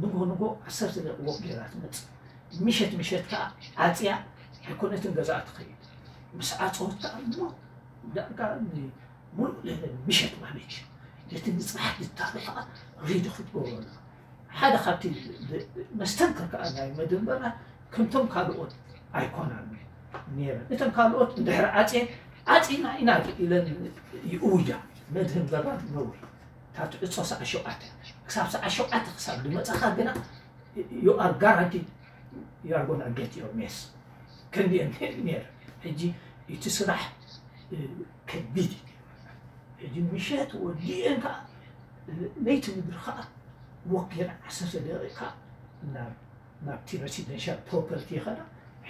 ንጎ ንጎ ዓሰርተ ደቂ ወጌራ ትመጽእ ምሸት ምሸት ከዓ ዓጽያ ኣይኮነትን ገዛኣ ትኸይድ ምስ ዓጸወት ከዓ ዳርጋ ሙሉእ ለይለ ምሸት ማለት እዩ ነቲ ንፅባሕ ዝዳሎ ከዓ ሬዲ ክትገብሮ ኣለካ ሓደ ካብቲ መስተንክር ከዓ ናይ መደንበራ ከምቶም ካልኦት ኣይኮናን ነይረን እተን ካልኦት እንድሕር ዓፅየን ዓፂና ኢና ኢለን ይእውጃ መድህን በራድ ነውሪ እታ ትዕፆ ሰዓ ሸውዓተ ክሳብ ሰዓ ሸውዓተ ክሳብ ዝመፀኻ ግና you are guaranteed you are gonna get your mess ክንዲአን ነይረ ሕጂ እቲ ስራሕ ከቢድ እዩ ሕጂ ምሸት ወዲአን ከዓ ለይቲ ምድሪ ከዓ ወኪል ዓሰርተ ደቂቃ ናብቲ ሬሲደንሻል ፕሮፐርቲ ይኸዳ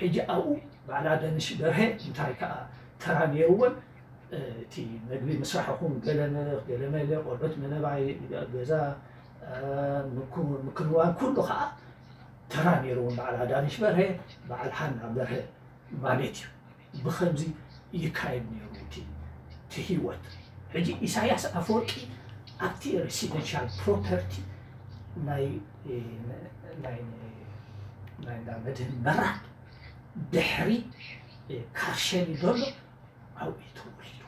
ሕጂ ኣብኡ ባዕላ ደንሽ በርሀ እንታይ ከዓ ተራ ነይርወን እቲ መግቢ ምስራሕኹም ገለመ ገለመለ ቆልዑት ምንባይ ገዛ ምክንዋን ኩሉ ከዓ ተራ ነይርዎም በዓል ኣዳነሽ በርሀ በዓል ሓና በርሀ ማለት እዩ። ብኸምዚ ይካየድ ነይሩ እቲ እቲ ህይወት። ሕጂ ኢሳያስ ኣፈወርቂ ኣብቲ ሬሲደንሻል ፕሮፐርቲ ናይ ናይ ናይ እንዳ መድህን በራድ ድሕሪ ካርሸሊ ዘሎ ኣብኡ እዩ ተወሊዱ።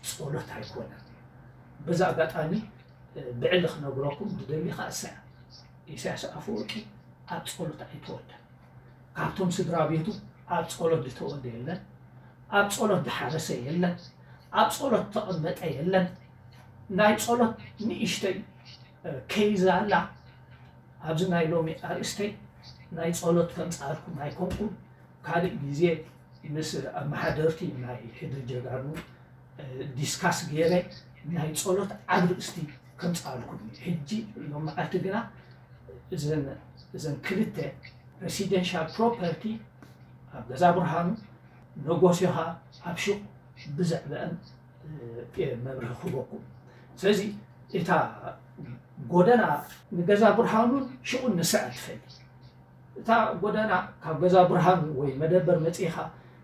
ጸሎት ኣይኮነን። በዚ ኣጋጣሚ ብዕሊ ክነግረኩም ዝደሊ ከኣ እሳ እያ። ኢሳያስ ኣፈወርቂ ኣብ ጸሎት ኣይተወልደን። ካብቶም ስድራ ቤቱ ኣብ ጸሎት ዝተወልደ የለን። ኣብ ጸሎት ዝሓረሰ የለን። ኣብ ጸሎት ዝተቐመጠ የለን። ናይ ጸሎት ንእሽተይ ኬዝ ኣላ። ኣብዚ ናይ ሎሚ ኣርእስተይ ናይ ጸሎት ከምጻልኩም ኣይኮንኩን። ካልእ ግዜ ምስ ኣመሓደርቲ ናይ ሕድሪ ጀጋኑ ዲስካስ ገይረ ናይ ጸሎት ዓብ ርእስቲ ከምጻልኩም። ሕጂ ሎም መዓልቲ ግና እዘን ክልተ ሬሲደንሻል ፕሮፐርቲ ኣብ ገዛ ብርሃኑ ነጎሲኻ ኣብ ሹቕ ብዘዕበአን መብርሂ ክህበኩም። ስለዚ እታ ጎደና ንገዛ ብርሃኑን ሽቑን ንስኣ ትፈሊ። እታ ጎደና ካብ ገዛ ብርሃኑ ወይ መደበር መጺኻ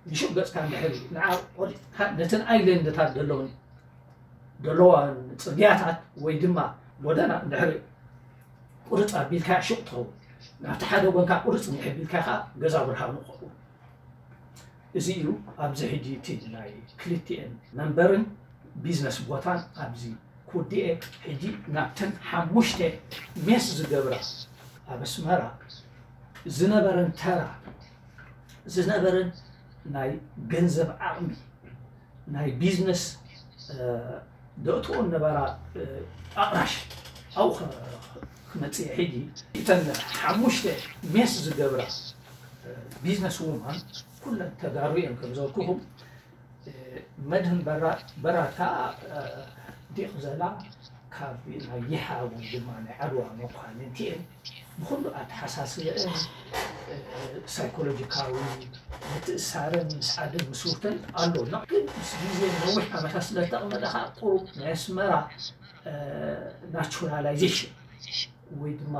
ንሹቕ ገጽካ እንድሕር ንዓ ቆሪጽካ ነተን ኣይለንድታት ዘለውን ዘለዋ ጽርግያታት ወይ ድማ ጎደና እንድሕር ቁርጽ ኣቢልካ ሽቕ ትኸውን። ናብቲ ሓደ ጎንካ ቁርጽ እንድሕር ቢልካ ከኣ ገዛ ብርሃኑ ክኸውን። እዚ እዩ ኣብዚ ሕጂ እቲ ናይ ክልቲኤን መንበርን ቢዝነስ ቦታን ኣብዚ ክውድኤ። ሕጂ ናብተን ሓሙሽተ ሜስ ዝገብራ ኣብ ኣስመራ ዝነበረን ተራ ዝነበረን ናይ ገንዘብ ዓቕሚ ናይ ቢዝነስ ደእትኦ ነበራ ኣቕራሽ ኣብኡ ክመፅእ። ሕጂ እተን ሓሙሽተ ሜስ ዝገብራ ቢዝነስ ውማን ኩለን ተጋሩ እየን ከም ዘልኩኹም። መድህን በራድ ከዓ ዲቕ ዘላ ካብ ናይ ይሓ ወይ ድማ ናይ ዓድዋ መኳንንቲ እየን። ብኹሉ ኣተሓሳስበአን ሳይኮሎጂካዊ ምትእሳረን ምስ ዓድን ምስ ውርተን ኣሎ። ግን ምስ ግዜ ነዊሕ ዓመታት ስለ ዝተቐመጠ ከዓ ቁሩብ ናይ ኣስመራ ናቹራላይዜሽን ወይ ድማ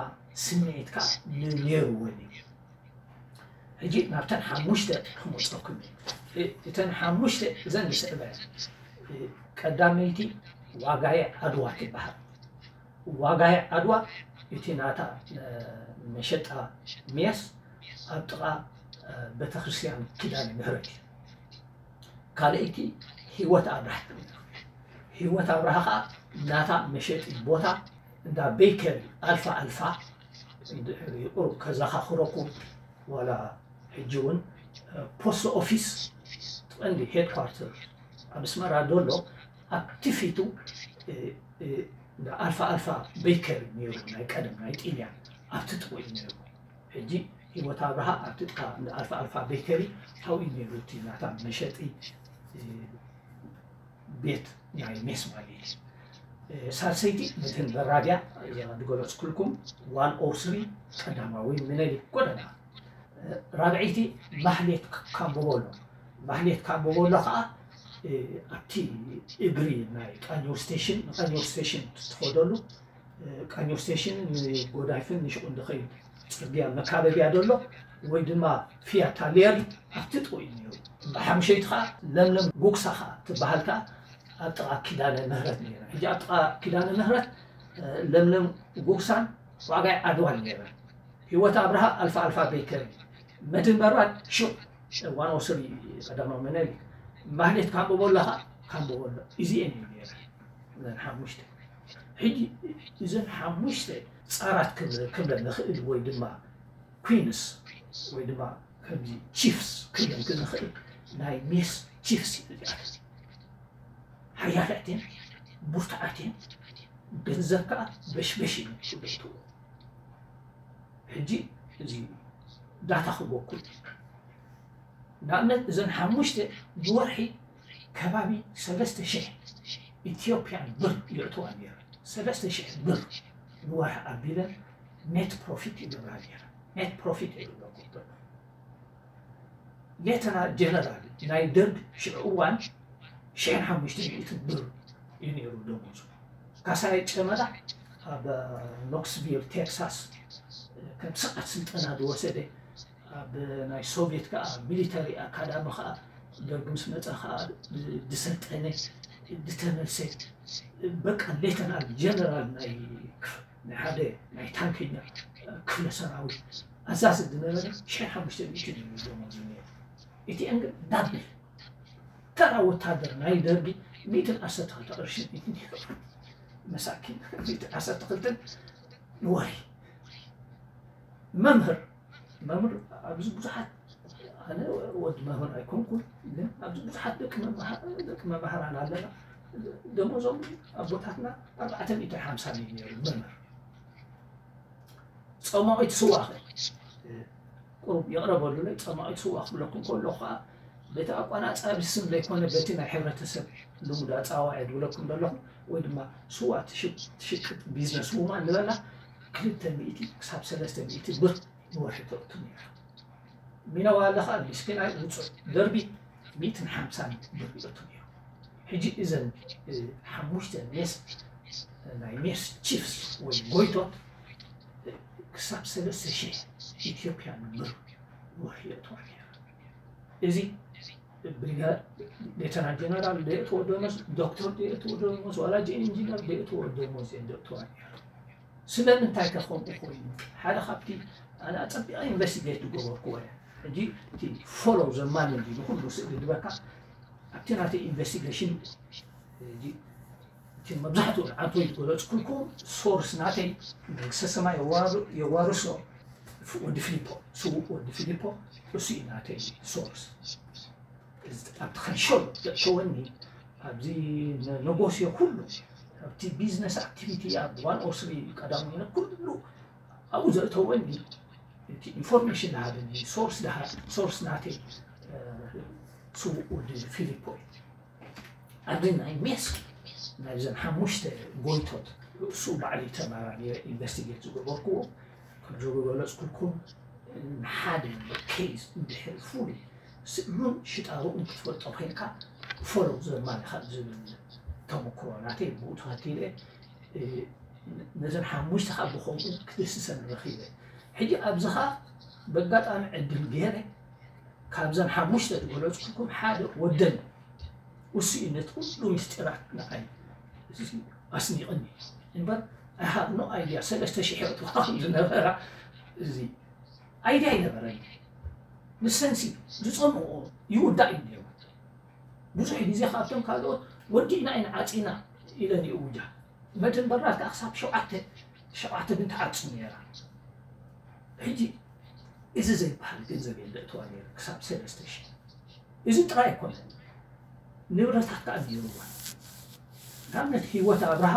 ስምዒት ከዓ ነይርወን እዩ። ሕጂ ናብተን ሓሙሽተ ክመፀኩም እየ። እተን ሓሙሽተ እዘን ዝስዕባ እየን። ቀዳመይቲ ዋጋየ ዓድዋ ትበሃል። ዋጋየ ዓድዋ እቲ ናታ መሸጣ ሜስ ኣብ ጥቓ ቤተክርስትያን ኪዳነ ምህረት እዩ። ካልኣይቲ ህይወት ኣብርሃ። ህይወት ኣብርሃ ከዓ ናታ መሸጢ ቦታ እንዳ ቤከሪ ኣልፋ ኣልፋ እንድሕር ቁሩብ ከዘኻኽረኩም ዋላ ሕጂ እውን ፖስት ኦፊስ ቀንዲ ሄድኳርተር ኣብ ኣስመራ ዘሎ ኣብቲ ፊቱ እንዳ ኣልፋ ኣልፋ ቤከሪ ነይሩ ናይ ቀደም ናይ ጢልያን ኣብቲ ጥቕኡ እዩ ነይሩ። ሕጂ ህይወት ኣብርሃ ኣብቲ ጥቃ እንዳ ኣልፋ ኣልፋ ቤከሪ ኣብኡ እዩ ነይሩ እቲ ናታ መሸጢ ቤት ናይ ሜስ ማለት እዩ። ሳልሰይቲ መድህን በራድያ እዛ ዝገለፅኩልኩም ዋን ኦር ስሪ ቀዳማዊ ምኒልክ ጎደና። ራብዐይቲ ማህሌት ካምቦቦሎ። ማህሌት ካምቦቦሎ ከዓ ኣብቲ እግሪ ናይ ቃኘው ስቴሽን ንቃኘው ስቴሽን ትኸደሉ ቃኘው ስቴሽን ንጎዳይፍን ንሽቁን ዝኸይድ ፅርግያ መካበቢያ ዘሎ ወይ ድማ ፊያ ታሊየር ኣብቲ ጥቕኡ እዩ ነይሩ። ብሓምሸይቲ ከዓ ለምለም ጉግሳ ከዓ ትበሃል ከዓ ኣብ ጥቓ ኪዳነ ምህረት ነይራ። ሕጂ ኣብ ጥቓ ኪዳነ ምህረት ለምለም ጉግሳን ዋጋይ ዓድዋን ነይረን። ህይወት ኣብርሃ ኣልፋ ኣልፋ ቤከሪ፣ መድህን በራድ ሹቕ ዋን ኦ ስሪ ቀዳማዊ ምኒልክ፣ ማህሌት ካምቦቦሎ ከዓ ካምቦቦሎ። እዚአን እዩ ነይረን እዘን ሓሙሽተ። ሕጂ እዘን ሓሙሽተ ፃራት ክብለ ንኽእል ወይ ድማ ኩንስ ወይ ድማ ከምዚ ቺፍስ ክብለን ንኽእል ናይ ሜስ ቺፍስ እዩ እዚኣተን። ሓያላት እየን፣ ብርቱዓት እየን፣ ገንዘብ ከዓ በሽበሽ እዩ ዝብለትዎ። ሕጂ እዚ ዳታ ክበኩል ንኣብነት እዘን ሓሙሽተ ብወርሒ ከባቢ ሰለስተ ሽሕ ኢትዮጵያን ብር ይእትዋ ነይረን። ሰለስተ ሽሕ ብር ንወርሒ ኣቢለን ኔት ፕሮፊት ይገብራ ነይረን። ኔት ፕሮፊት ይብለኩም ዘሎ ሌተና ጀነራል ናይ ደርግ ሽዑ እዋን ሽሕን ሓሙሽተ ሚእትን ብር እዩ ነይሩ ደሞዙ። ካሳይ ጨመዳ ኣብ ኖክስቪል ቴክሳስ ከም ስርዓት ስልጠና ዝወሰደ ኣብ ናይ ሶቪየት ከዓ ሚሊተሪ ኣካዳሚ ከዓ ደርግ ምስ መፀ ከዓ ዝሰልጠነ፣ ዝተመልሰ፣ በቃ ሌተናል ጀነራል ናይ ናይ ሓደ ናይ ታንከኛ ክፍለ ሰራዊት ኣዛዚ ዝነበረ ሽሕን ሓሙሽተ ሚእትን እዩ ደሞዙ ነይሩ። እቲአን ግን ዳብል፣ ተራ ወታደር ናይ ደርጊ ሚእትን ዓሰርተ ክልተ ቅርሺ እዩ ነይሩ። መሳኪን፣ ሚእትን ዓሰርተ ክልተን ንወርሒ። መምህር መምህር ኣብዚ ብዙሓት፣ ኣነ ወዲ መምህር ኣይኮንኩን፣ ግን ኣብዚ ብዙሓት ደቂ መማሃ- ደቂ መማህራን ኣለና። ደሞዞም ኣቦታትና ኣርባዕተ ሚእትን ሓምሳን እዩ ነይሩ መምህር። ጸማዊት ስዋ ኸ ቁሩብ ይቕረበሉለይ። ጸማዊት ስዋ ክብለኩም ከሎ ከዓ በቲ ኣቋናጻቢ ስም ዘይኮነ በቲ ናይ ሕብረተሰብ ልሙድ ኣጻዋዒ ዝብለኩም ዘለኹ፣ ወይ ድማ ስዋ ትሽቅ- ትሽቅጥ ቢዝነስ ውማን ንበላ ክልተ ሚእቲ ክሳብ ሰለስተ ሚእቲ ብር ንወርሒ ተእቱ ነይራ። ሚነዋ ኣለኻ ምስኪን ኣይውፅእ ደርቢ ሚእትን ሓምሳን ብር ይእቱ ነይሩ። ሕጂ እዘን እ፣ ሓሙሽተ ሜስ ናይ ሜስ ቺፍስ ወይ ጎይቶት እ፣ ክሳብ ሰለስተ ሽሕ ኢትዮጵያን ብር ወርሒ የእትዋ ነይራ። እዚ ብሪጋ- ሌተናል ጀነራል ደየእትዎ ደሞዝ፣ ዶክተር ደየእትዎ ደሞዝ፣ ዋላ ጂ ኢንጂነር ደየእትዎ ደሞዝ እየን ደእትዋ ነይራ። ስለምንታይ ከ ከምኡ ኮይኑ? ሓደ ካብቲ ኣነ ኣጸቢቐ ኢንቨስቲጌት ዝገበርክዎ እየ። ሕጂ እቲ ፎሎው ዘማኒ እንዲ ንኩሉ ስእሊ ዝበካ ኣብቲ ናተይ ኢንቨስቲጌሽን ሕጂ እቲ መብዛሕትኡ ንዓንቶ ዝገለጽኩልኩም ሶርስ ናተይ መንግስተ ሰማይ የዋር- የዋርሶ ወዲ ፊሊፖ፣ ስዉእ ወዲ ፊሊፖ፣ እሱ እዩ ናተይ ሶርስ። ኣብቲ ከንሾል ዘእተወኒ ኣብዚ ነጎስዮ ኩሉ ኣብቲ ቢዝነስ ኣክቲቪቲ ኣብ ዋን ኦ ስሪ ቀዳሙ ይነ ኩሉ ኣብኡ ዘእተወኒ እቲ ኢንፎርሜሽን ዝሃበኒ ሶርስ ድሃ ሶርስ ናተይ እ፣ ስዉእ ወዲ ፊሊፖ እዩ። ኣብዚ ናይ ሜስክ ናይዘን ሓሙሽተ ጎይቶት እሱ ባዕሊ ተመራሚረ ኢንቨስቲጌት ዝገበርክዎ ከም ዝገለፅኩልኩም ንሓደ ኬዝ እንድሕር ፍሉይ ስእሉን ሽጣርኡን ክትፈልጦ ኮይንካ ፎሎው ዘማኒ ካብ ዝብል ተመክሮ ናተይ ብኡ ተኸቲለ እ፣ ነዘን ሓሙሽተ ካብ ብኸምኡ ክድስሰን ረኺበ። ሕጂ ኣብዚ ኸዓ በጋጣሚ ዕድል ገይረ ካብዘን ሓሙሽተ ዝገለፅኩልኩም ሓደ ወደን ውስኢነት ኩሉ ምስጢራት ንዓይ ኣስኒቕኒ እምበር I have no idea ሰለስተ ሽሕ የእትዋ ከም ዝነበራ እዚ ኣይድያ ኣይነበረኒ። ንሰንሲ ዝፀምኦ ይውዳእ እዩ ነይሩ። ብዙሕ ግዜ ካብቶም ካልኦት ወዲእና ኢና ዓፂና ኢለን ይእውጃ። መድን በራት ከዓ ክሳብ ሸውዓተ ሸውዓተ ግን ትዓፅም ነይራ። ሕጂ እዚ ዘይበሃል ገንዘብ እየ ዘእትዋ ነይረ ክሳብ ሰለስተ ሽሕ። እዚ ጥራይ ኣይኮነን፣ ንብረታት ከዓ ነይሩዋ። ንኣብነት ህይወት ኣብርሃ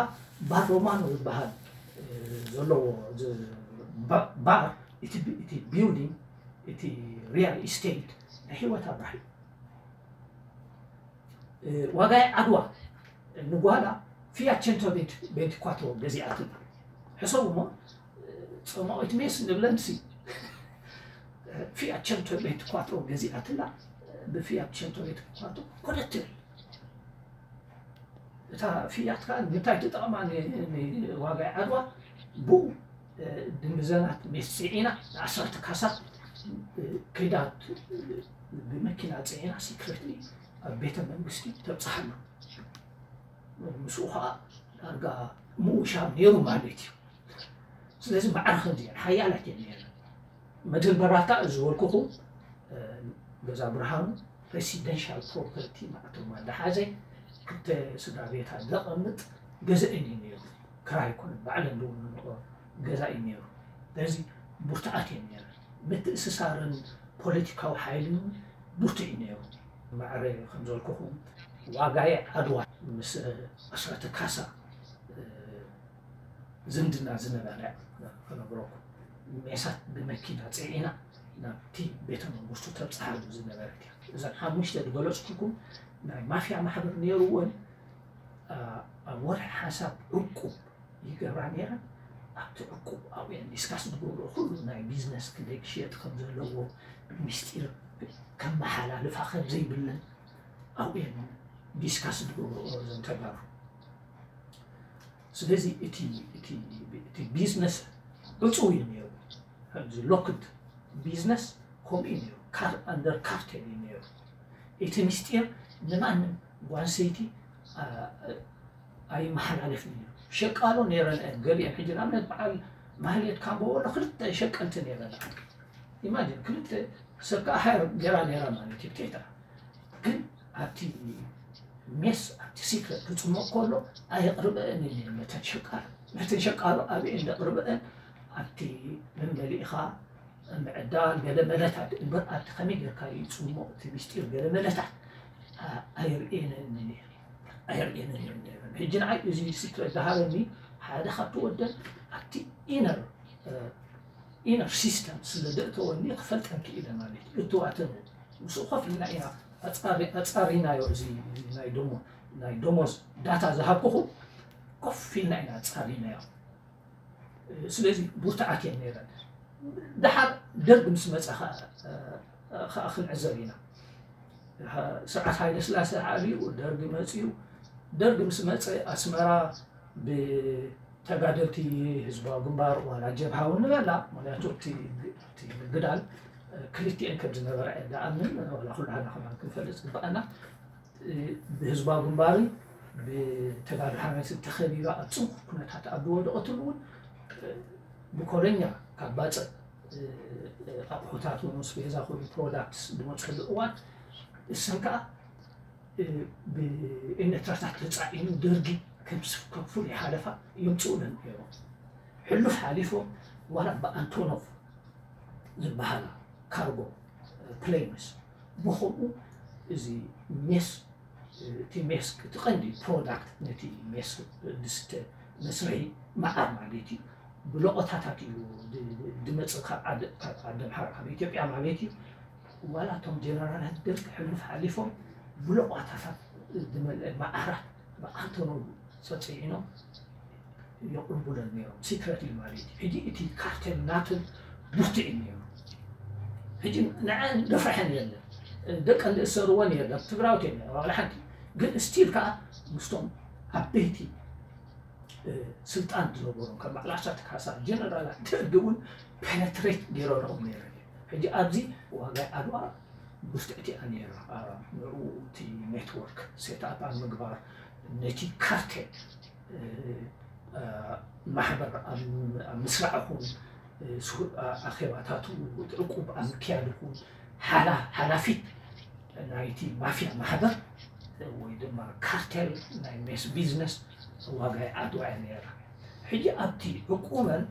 ባር ሮማኖ ዝበሃል እ፣ ዘለዎ ዝ- ባ- ባር እቲ ቢ- እቲ ቢልዲንግ እቲ ሪያል ኢስቴት ናይ ህይወት ኣብርሃ እዩ። እ፣ ዋጋይ ዓድዋ ንጓላ ፊያት ቸንቶ ቤንት ቤንት ኳትሮ ገዚኣትላ። ሕሰቡ እሞ እ፣ ጸማዊት ሜስ ንብለንሲ ፊያት ቸንቶ ቤንት ኳትሮ ገዚኣትላ። ብፊያት ቸንቶ ቤንት ኳትሮ ኮደት ትብል። እታ ፊያት ከኣ ንምንታይ ትጠቕማ ን- ን- ንዋጋይ ዓድዋ ብኡ እ፣ ድንብዘናት ሜስ ጽዒና ንዓሰርተ ካሳ እ፣ ከይዳ እ፣ ብመኪና ጽዒና ሲክሬትሊ ኣብ ቤተ መንግስቲ ተብጽሓሉ። ምስኡ ከዓ ዳርጋ ምውሻብ ነይሩ ማለት እዩ። ስለዚ ማዕረ ከምዚ እየን ሓያላት እየን ነይረን። መድህን በራታ ዝበልኩኹም እ፣ ገዛ ብርሃኑ ሬሲደንሻል ፕሮፐርቲ ማዕተማ ዝሓዘ ክልተ ስድራ ቤታት ዘቐምጥ ገዛ እዩ ነይሩ። ክራይ ኣይኮነን፣ ባዕለን ዝውንንኦ ገዛ እዩ ነይሩ። ስለዚ ብርቱዓት እየን ነይረን። ምትእስሳርን ፖለቲካዊ ሓይልን እውን ብርቱዕ እዩ ነይሩ። ማዕረ ከም ዝበልኩኹም ዋጋየ ዓድዋ ምስ ኣስራተ ካሳ እ፣ ዝምድና ዝነበረ ክነግረኩም። ሜሳት ብመኪና ጽዒና ናብቲ ቤተ መንግስቱ ተብጽሓሉ ዝነበረት እያ። እዘን ሓሙሽተ ዝገለጽኩልኩም ናይ ማፍያ ማሕበር ነይርወን ኣ፣ ኣብ ወርሒ ሓንሳብ ዕቁብ ይገብራ ነይረን። ኣብቲ ዕቁብ ኣብኡ እየን ዲስካስ ዝገብርኦ ኩሉ ናይ ቢዝነስ ክንደይ ክሽየጥ ከም ዘለዎ ምስጢር ከመሓላልፋ ከም ዘይብለን ኣብኡ እየን ዲስካስ ዝገብርኦ እዘን ተጋሩ። ስለዚ እቲ እቲ እቲ ቢዝነስ ዕጹው እዩ ነይሩ። ከምዚ ሎክድ ቢዝነስ ከምኡ እዩ ነይሩ። ካር ኣንደር ካርቴል እዩ ነይሩ። እቲ ምስጢር ንማንም ጓንሰይቲ ኣይመሓላለፍን እዩ። ሸቃሎ ነይረን እየን ገሊአን። ሕጂ ንኣብነት በዓል ማህሌት ካምቦ ወሎ ክልተ ሸቀልቲ ነይረን። ኢማጂን ክልተ ሰብ ከዓ ሃየር ገይራ ነይራ ማለት እዩ። ቴታ ግን ኣብቲ ሜስ ኣብቲ ሲክሬት ክፅሞቕ ከሎ ኣየቕርበአን እየን ነተን ሸቃሎ። ነተን ሸቃሎ ኣብአን ዘቕርበአን ኣብቲ መመሊእኻ ምዕዳል ገለ መለታት እምበር ኣብቲ ከመይ ጌርካ ይፅሞ እቲ ምስጢር ገለ መለታት ኣየርእየንን እየን። ኣየርእየንን እየን ነይረን። ሕጂ ንዓይ እዚ ሲክሬት ዝሃበኒ ሓደ ካብቲ ወደን ኣብቲ ኢነር ኢነር ሲስተም ስለ ዘእተወኒ ክፈልጠን ክኢለ ማለት እዩ። እትዋተን ምስኡ ኮፍ ኢልና ኢና ኣፃሪናዮ። እዚ ናይ ደሞ ናይ ደሞዝ ዳታ ዝሃብኩኹም ኮፍ ኢልና ኢና ኣፃሪናዮ። ስለዚ ብርቱዓት እየን ነይረን። ደሓር ደርግ ምስ መፀ ከዓ ክንዕዘብ ኢና። ስርዓት ሃይለ ስላሴ ዓብዩ ደርግ መፅዩ። ደርግ ምስ መፀ ኣስመራ ብተጋደልቲ ህዝባዊ ግንባር ዋላ ጀብሃ እውን ንበላ፣ ምክንያቱ እቲ ምግዳል ክልቲኤን ከም ዝነበራ እየ ዝኣምን። ዋላ ኩሉ ሓና ከማን ክንፈልጥ ዝግበኣና ብህዝባዊ ግንባርን ብተጋድሎ ሓርነት ተኸቢባ ኣብ ፅንኩር ኩነታት ኣብ ዝወደቐትሉ እውን ብኮለኛ ካብ ባፅዕ ኣቑሑታት እውን ስፔዛ ኮይኑ ፕሮዳክትስ ዝመፅሉ እዋን እሰን ከዓ ብኤርትራታት ተፃዒኑ ደርጊ ከም ፍሉይ ሓለፋ የምፅኡለን ነይሮም። ሕሉፍ ሓሊፎም ዋላ ብኣንቶኖቭ ዝበሃላ ካርጎ ፕሌንስ ብኸምኡ እዚ ሜስ እቲ ሜስ እቲ ቀንዲ ፕሮዳክት ነቲ ሜስ ዝስተ መስርሒ መዓር ማለት እዩ። ብለቆታታት እዩ ዝመፅእ ካብ ዓዲ ኣምሓራ ካብ ኢትዮጵያ ማለት እዩ። ዋላ እቶም ጀነራላት ደርግ ሕሉፍ ሓሊፎም ብለቆታታት ዝመልአ መዓራት ብኣንቶኖቭ ፀፅዒኖም የቕርቡለን ነይሮም። ሲክረትሊ ማለት እዩ። ሕጂ እቲ ካርቴል ናተን ብርቱዕ እዩ ነይሩ። ሕጂ ንዐን ደፍርሐን የለን። ደቀን ዝእሰርወን የለን። ትግራዎት የለን ዋላ ሓንቲ። ግን ስቲል ከዓ ምስቶም ዓበይቲ ስልጣን ዝነበሮም ከም በዓል ኣስራት ካሳ ጀነራላት ደርግ እውን ፔነትሬት ገይረንኦም ነይረን። ሕጂ ኣብዚ ዋጋ ዓድዋ ብርትዕቲ እያ ነይራ። ንዕኡ እቲ ኔትወርክ ሴትኣፕ ኣብ ምግባር ነቲ ካርቴል ማሕበር ኣብ ምስራዕ ይኹን ኣኼባታቱ ዕቁብ ኣብ ምክያድ ይኹን ሓላፊት ናይቲ ማፍያ ማሕበር ወይ ድማ ካርቴል ናይ ሜስ ቢዝነስ ዋጋ ዓድዋ እያ ነይራ። ሕጂ ኣብቲ ዕቁበን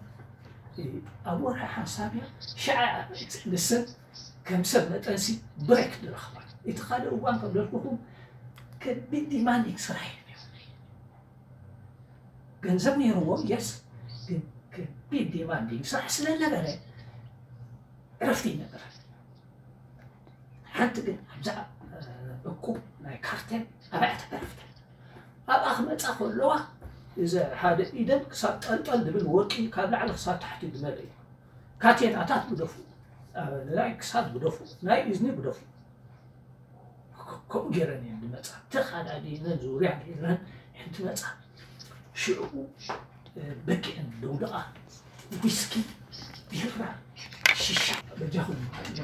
ኣብ ወርሒ ሓንሳብ እያ ሽዓ ንሰን ከም ሰብ መጠንሲ ብሬክ ዝረኽባ። እቲ ካልእ እዋን ከም ዘልኩኹም ከቢድ ዲማንዲንግ ስራሕ እዩ። ገንዘብ ነይርዎ የስ፣ ግን ከቢድ ዲማንዲንግ ስራሕ ስለ ነበረ ዕረፍቲ ይነበረ። ሓንቲ ግን ኣብዛ እቁብ ናይ ካርቴል ኣብያተ ዕረፍቲ ኣብኣ ክመፃ ከለዋ እዚ ሓደ ኢደን ክሳብ ጠልጠል ዝብል ወርቂ ካብ ላዕሊ ክሳብ ታሕቲ ዝመልእ እዩ። ካቴናታት ግደፉ፣ ናይ ክሳድ ግደፉ፣ ናይ እዝኒ ግደፉ። ከምኡ ገይረን እየን ዝመፃ። ተኻዳዲነን ዙርያ ገይረን እየን ዝመፃ። ሽዕኡ በቂዐን ደውድቓ ዊስኪ፣ ቢራ፣ ሽሻ በጃኹም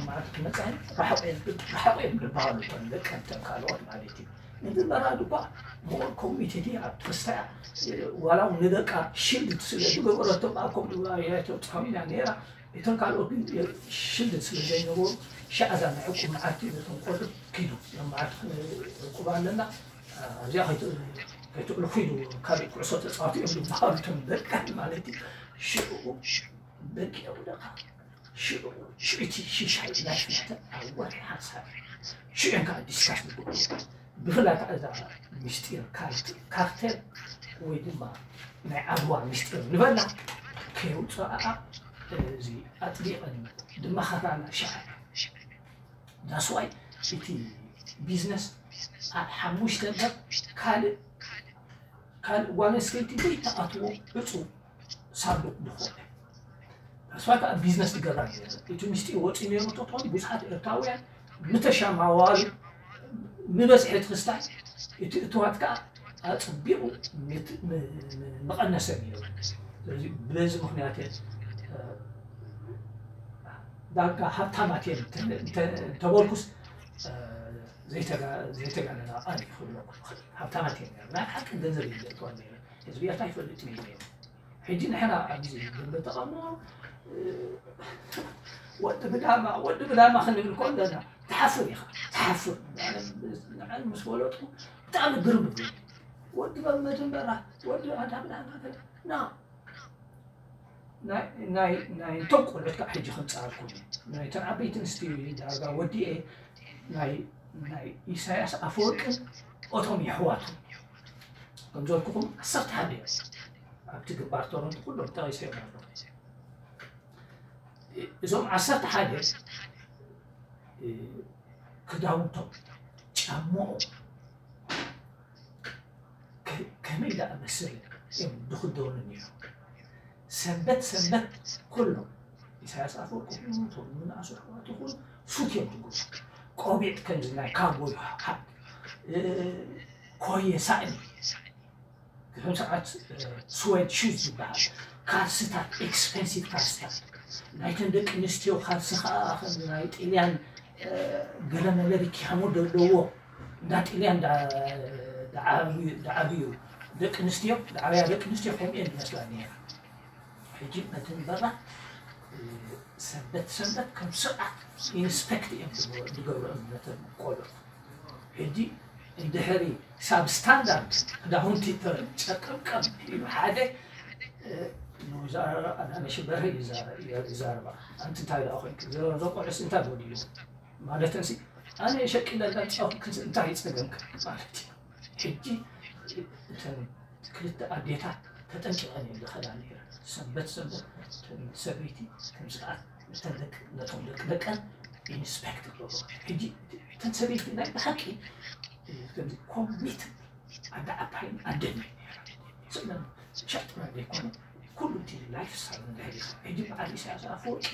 መዓልቲ ክመፃ እየን። ራሕቑ እየን፣ ራሕቑ እየን ዝበሃሉ እቶም ደቀን እተን ካልኦት ማለት እዩ። መጀመርያ ድኳ ሞር ኮሚቴድ እያ ኣብ ተስፋያ ዋላ እውን ንደቃ ሽልድ ስለ ዝገበረቶም ኣብ ከምኡ ተብፅሖም ኢና ነይራ። እቶም ካልኦት ግን ሽልድ ስለ ዘይነበሩ ሻዕዛ ናይ ዕቁብ መዓልቲ ነቶም ቆልዑ ኪዱ ዮም መዓልቲ ዕቁብ ኣለና ኣብዚኣ ከይትዕልፉ ኢሉ ካልእ ኩዕሶ ተፃወቱ እዮም ዝበሃሉ እቶም ደቀን ማለት እዩ። ሽዕኡ በቂዑ ደቃ ሽዑ ሽዑቲ ሽሻይ ላይፍ ናተን ኣብ ወርሒ ሓንሳብ ሽዑን ከዓ ዲስካስ ዝገብሩ ብፍላይ ከዓ እዛ ምስጢር ካርቴል ወይ ድማ ናይ ዓድዋ ምስጢር ንበላ ከየውፅኣኣ እዚ ኣጥቢቐን ዝመኻራና ሽዓ ዳስዋይ እቲ ቢዝነስ ኣብ ሓሙሽተ እምበር ካልእ ካልእ ጓል ኣንስተይቲ ዘይተኣትዎ ዕፁ ሳንዱቕ ዝኾነ ተስፋ ከዓ ቢዝነስ ትገብራ ነይረ እቲ ምስጢር ወፂኡ ነይሩ ተትኾኑ ብዙሓት ኤርትራውያን ምተሻማዋሉ ምበዝሒ ትክስታይ እቲ እትዋት ከዓ ኣፅቢቑ ምቐነሰ ነይሩ ስለዚ በዚ ምክንያት ዳርጋ ሃብታማት እየን እንተ- እንተ- እንተበልኩስ እ፣ ዘይተጋ- ዘይተጋነና ቃል እዩ ክብለኩም ይኽእል። ሃብታማት እየን ነይረን። ናይ ሓቂ ገንዘብ እየን ዘእትዋ ነይረን። ህዝቢ ኤርትራ ይፈልጥ እዩ ነይሩ። ሕጂ ንሕና ኣብዚ ደንበ ተቓውሞ እ፣ ወዲ ብዳማ ወዲ ብዳማ ክንብል ከለና ትሓፍር ኢኻ ትሓፍር። ንዓን ምስ ፈለጥኩ ብጣዕሚ ግርም እዩ። ወዲ መድንበራ ወዲ ኣዳ ብዳማ ና ናይ ናይ ናይ እንቶም ቆልዑት ከዓ ሕጂ ከምፅኣልኩም እዩ። ናይተን ዓበይቲ ኣንስትዮ እዩ ዳርጋ ወዲኤ ናይ ናይ ኢሳያስ ኣፈወርቅን ኦቶም የሕዋቱ ከም ዘልኩኹም ዓሰርተ ሓደ እዮም። ኣብቲ ግንባር ቶሮንቶ ኩሎም ጠቒሰዮም ኣለኹ። እዞም ዓሰርተ ሓደ እ፣ ክዳውንቶም ጫምኦም ከ- ከመይ ዝኣመሰለ እዮም ዝኽደኑ ነይሮም። ሰንበት ሰንበት ኩሎም ኢሳያስ ኣፈወርቂ ይኹኑ እቶም ዝነኣሱ ኣሕዋት ይኹኑ ሱፍ እዮም ዝገብሩ። ቆቢዕ ከምዚ ናይ ካውቦይ ሃት እ፣ ኮየ ሳእኒ ከም ሰዓት ስዌድ ሹዝ ዝበሃል ካልስታት ኤክስፐንሲቭ ካልስታት ናይተን ደቂ ኣንስትዮ ካልሲ ከዓ ከም ናይ ጥልያን ገለመለ ሪኪያሞ ዘለዎ እንዳ ጥልያን ዝዓብዩ ደቂ ኣንስትዮ ዝዓብያ ደቂ ኣንስትዮ ከምኡ እየን ዝመስላ ነይራ። ሕጂ መድንበራ ሰንበት ሰንበት ከም ስርዓት ኢንስፔክት እዮም ዝገብሩ እምነተን ቆልዑ። ሕጂ እንድሕሪ ሳብ ስታንዳርድ ክዳውንቲ ጨቀምቀም ኢሉ ሓደ ንወይዘሮ ኣዳነሽ በርሀ ይዛረባ ኣንቲ እንታይ ደኣ ኮንክ ዘቆዕስ እንታይ ጎዲሉ ማለተን ሲ ኣነ ሸቂለ እንዳጫወትክን እንታይ ይፀገምክ ማለት እዩ። ሕጂ እተን ክልተ ኣዴታት ተጠንቂቐን እየን ዝኸዳ ነይረን። ሰንበት ሰንበት እተን ሰበይቲ ከም ስርዓት እተን ደቂ ነቶም ደቂ ደቀን ኢንስፔክት ይገብሩ። ሕጂ እተን ሰበይቲ ናይ ብሓቂ ከምዚ ኮሚት ኣደ ዓባይን ኣደን እየን ነይረን። ስእለን ሸጥና ዘይኮነ ኩሉ እቲ ላይፍ ስታይል ንድሕር ኢኻ። ሕጂ በዓል ኢሳያስ ኣፈወርቂ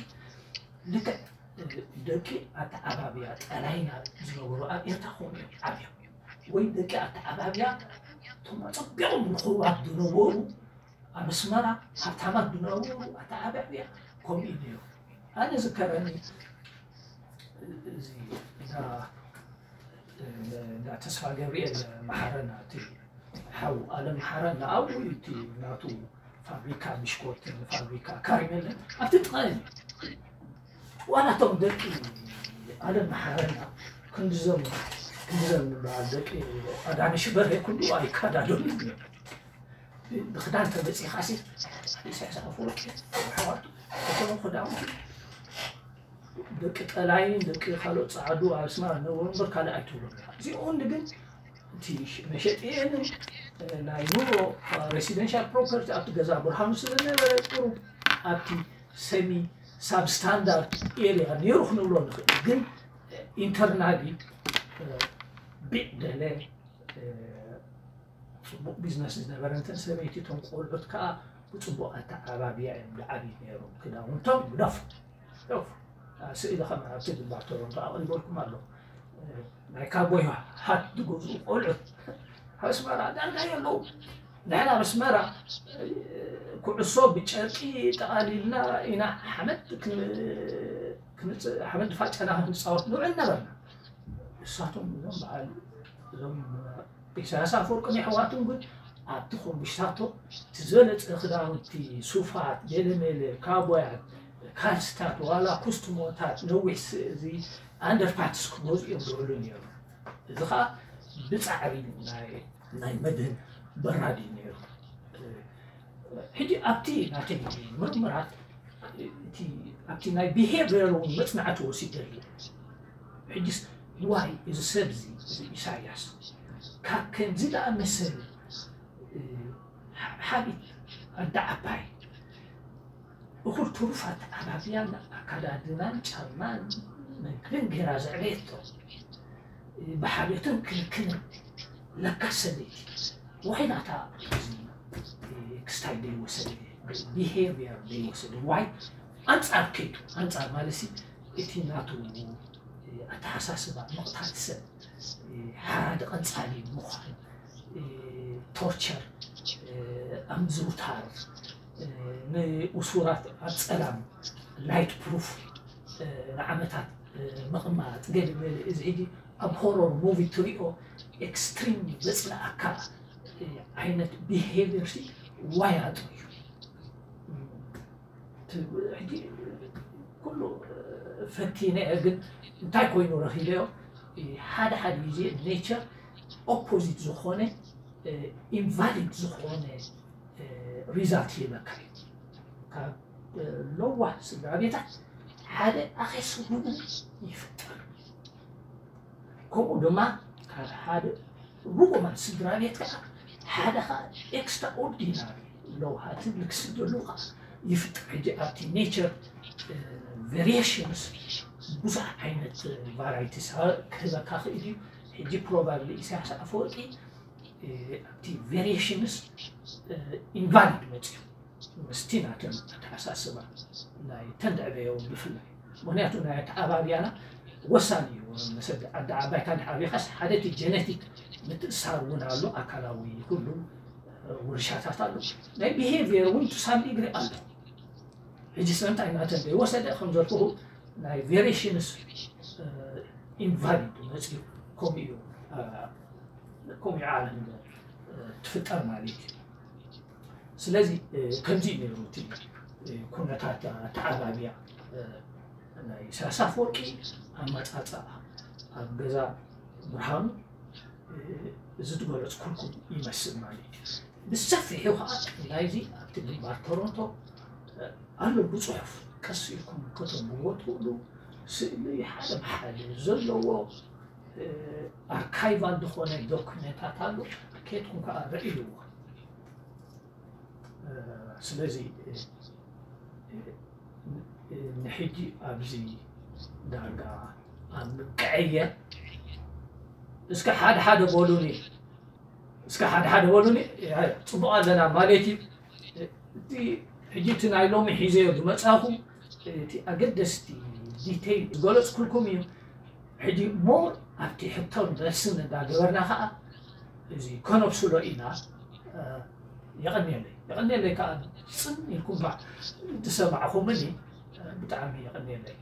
ልክዕ ደቂ ኣተዓባብያ ጠላይና ዝነበሩ ኣብ ኤርትራ ከምኡ እዮም ዓብዮም። ወይ ደቂ ኣተዓባብያ እቶም ኣጸቢቖም ንኽቡራት ዝነበሩ ኣብ ኣስመራ ሃብታማት ዝነበሩ ኣተዓባብያ ከምኡ እዩ ነይሩ። ኣነ ዝከረኒ እዚ እንዳ እንዳ ተስፋ ገብርኤል መሓረና እቲ ሓው ኣለም መሓረና ኣብኡ እዩ እቲ ናቱ ፋብሪካ ብሽኮትን ፋብሪካ ካሪሜለን ኣብቲ ጥቓ እዩ። ዋላ እቶም ደቂ ኣለም መሓረና ክንድዞም ክንድዞም ዝበሃል ደቂ ኣዳነሽ በርሄ ኩሉ ኣይካዳዶምን እዮም። ብክዳን ተመፂኻሲ ኢሳያስ ኣፈወርቂ ኣሕዋቱ እቶም ክዳውንቲ ደቂ ጠላይን ደቂ ካልኦት ፃዓዱ ኣብ ኣስመራ ዝነበሩ እምበር ካልእ ኣይትብሎም ኢኻ። እዚኦም ግን እቲ መሸጢ እየንን ናይ ኑሮ ሬሲደንሻል ፕሮፐርቲ ኣብቲ ገዛ ብርሃኑ ስለዝነበረ ቁሩብ ኣብቲ ሰሚ ሳብ ስታንዳርድ ኤሪያ ነይሩ ክንብሎ ንኽእል። ግን ኢንተርናሊ ቢዕ ደለ ፅቡቕ ቢዝነስ ዝነበረ እንተን ሰበይቲ እቶም ቆልዑት ከዓ ብፅቡቕ ኣተዓባብያ እዮም ዝዓብዩ ነይሮም። ክዳውንቶም ግደፉ ግደፉ። ስእሊ ከም ኣብቲ ግንባር ቶሮንቶ ኣቕሪበልኩም ኣለኹ። ናይ ካቦይ ሃት ዝገዝኡ ቆልዑት ኣብ ኣስመራ ዳርጋ የለዉ። ንሕና ኣብ ኣስመራ ኩዕሶ ብጨርቂ ጠቓሊልና ኢና ሓመድ ሓመድ ፋጨና ክንፃወት ንውዕል ነበርና። ንሳቶም እዞም በዓል እዞም ኢሳያስ ኣፈወርቅን የሕዋቱን ግን ኣብቲ ኮምብሽታቶ እቲ ዝበለፀ ክዳውንቲ ሱፋት ገለመለ ካቦያት ካልስታት ዋላ ኩስትሞታት ነዊሕ እዚ ኣንደርፓትስ ክገዝኡ እዮም ዝውዕሉ ነይሩ። እዚ ከዓ ብፃዕሪ ናይ መድህን በራድ እዩ ነይሩ። ሕጂ ኣብቲ ናተይ ምርምራት ኣብቲ ናይ ቢሄቪየር እውን መፅናዕቲ ወሲደሉ። ሕጂስ ዋይ እዚ ሰብ እዚ እዚ ኢሳያስ ካብ ከምዚ ዝኣመሰለ ሓቢት ኣደ ዓባይ እኹል ትሩፋት ኣባብያን ኣካዳድናን ጫማን መግብን ጌራ ዘዕበየቶ ብሓልዮትን ክንክንን ለካ ሰበይቲ ዋይ ናታ ክስታይ ዘይወሰደ ቢሄቪየር ዘይወሰደ ዋይ ኣንፃር ከይዱ ኣንፃር ማለት እቲ ናቱ ኣተሓሳስባ ምቕታል ሰብ ሓራዲ ቀንፃሊ ምዃን ቶርቸር ኣምዝውታር ንእሱራት ኣብ ፀላም ላይት ፕሩፍ ንዓመታት ምቕማጥ ገለ ገለ እዚ ሕጂ ኣብ ሆረር ሙቪ ትሪኦ ኤክስትሪም ዘፅልኣካ ዓይነት ቢሄቪየር ሲ ዋይ ኣጥሩ እዩ። ሕጂ ኩሉ ፈቲነ እየ፣ ግን እንታይ ኮይኑ ረኺበዮ? ሓደ ሓደ ግዜ ኔቸር ኦፖዚት ዝኾነ ኢንቫሊድ ዝኾነ ሪዛልት ይህበካ እዩ። ካብ ለዋህ ስድራ ቤታት ሓደ ኣኼስ ርጉም ይፍጠር። ከምኡ ድማ ካብ ሓደ ርጉማት ስድራ ቤት ከዓ ሓደ ከዓ ኤክስትራኦርዲናሪ ለውሃትን ልክስደሉ ከዓ ይፍጠር። ሕጂ ኣብቲ ኔቸር ቬሪሽንስ ብዙሕ ዓይነት ቫራይቲስ ክህበካ ክእል እዩ። ሕጂ ፕሮባብሊ ኢሳያስ ኣፈወርቂ ኣብቲ ቬሪሽንስ ኢንቫሊድ መፅዩ ምስቲ ናተን ኣተሓሳስባ ናይ ተንድዕበዮ ብፍላይ። ምክንያቱ ናይ ኣተዓባብያና ወሳኒ እዩ። መሰል ዓዲ ዓባይካ ድሓቢኻስ ሓደ እቲ ጀነቲክ ምትእሳር እውን ኣሎ፣ ኣካላዊ ኩሉ ውርሻታት ኣሎ። ናይ ቢሄቪየር እውን ቱ ሳም ዲግሪ ኣሎ። ሕጂ ስለምንታይ ናተን ዘይወሰደ ከም ዘልኩኹ ናይ ቬሪሽንስ ኢንቫሊድ መፅዩ ከምኡ እዩ ከምኡ ዓለም ትፍጠር ማለት እዩ። ስለዚ ከምዚ እዩ ነይሩ እቲ ኩነታት ኣተዓባብያ ናይ ኢሳያስ ኣፈወርቂ ኣመፃፅኣ ኣብ ገዛ ብርሃኑ እዚ ዝገለፅኩልኩም ይመስል ማለት እዩ። ብሰፊሑ ከዓ ናይዚ ኣብቲ ግንባር ቶሮንቶ ኣሎ ብፅሑፍ ቀስ ኢልኩም ከተንብብዎ ትኽእሉ። ስእሊ ሓደ ብሓደ ዘለዎ ኣርካይቫል ዝኾነ ዶክመንታት ኣሎ። ኬድኩም ከዓ ረእይዎ። ስለዚ ንሕጂ ኣብዚ ዳርጋ ኣብ ምክዕየር እስከ ሓደ ሓደ በሉኒ፣ እስከ ሓደ ሓደ በሉኒ። ጽቡቕ ኣለና ማለት እዩ። እቲ ሕጂ እቲ ናይ ሎሚ ሒዘዮ ዝመጻኹ እቲ ኣገደስቲ ዲቴይል ዝገለጽኩልኩም እዩ። ሕጂ ሞር ኣብቲ ሕቶን መልስን እንዳገበርና ከዓ እዚ ከነብስሎ ኢና። የቐንየለይ፣ የቐንየለይ ከዓ ጽን ኢልኩም ባ ዝሰማዕኹምኒ ብጣዕሚ የቐንየለይ።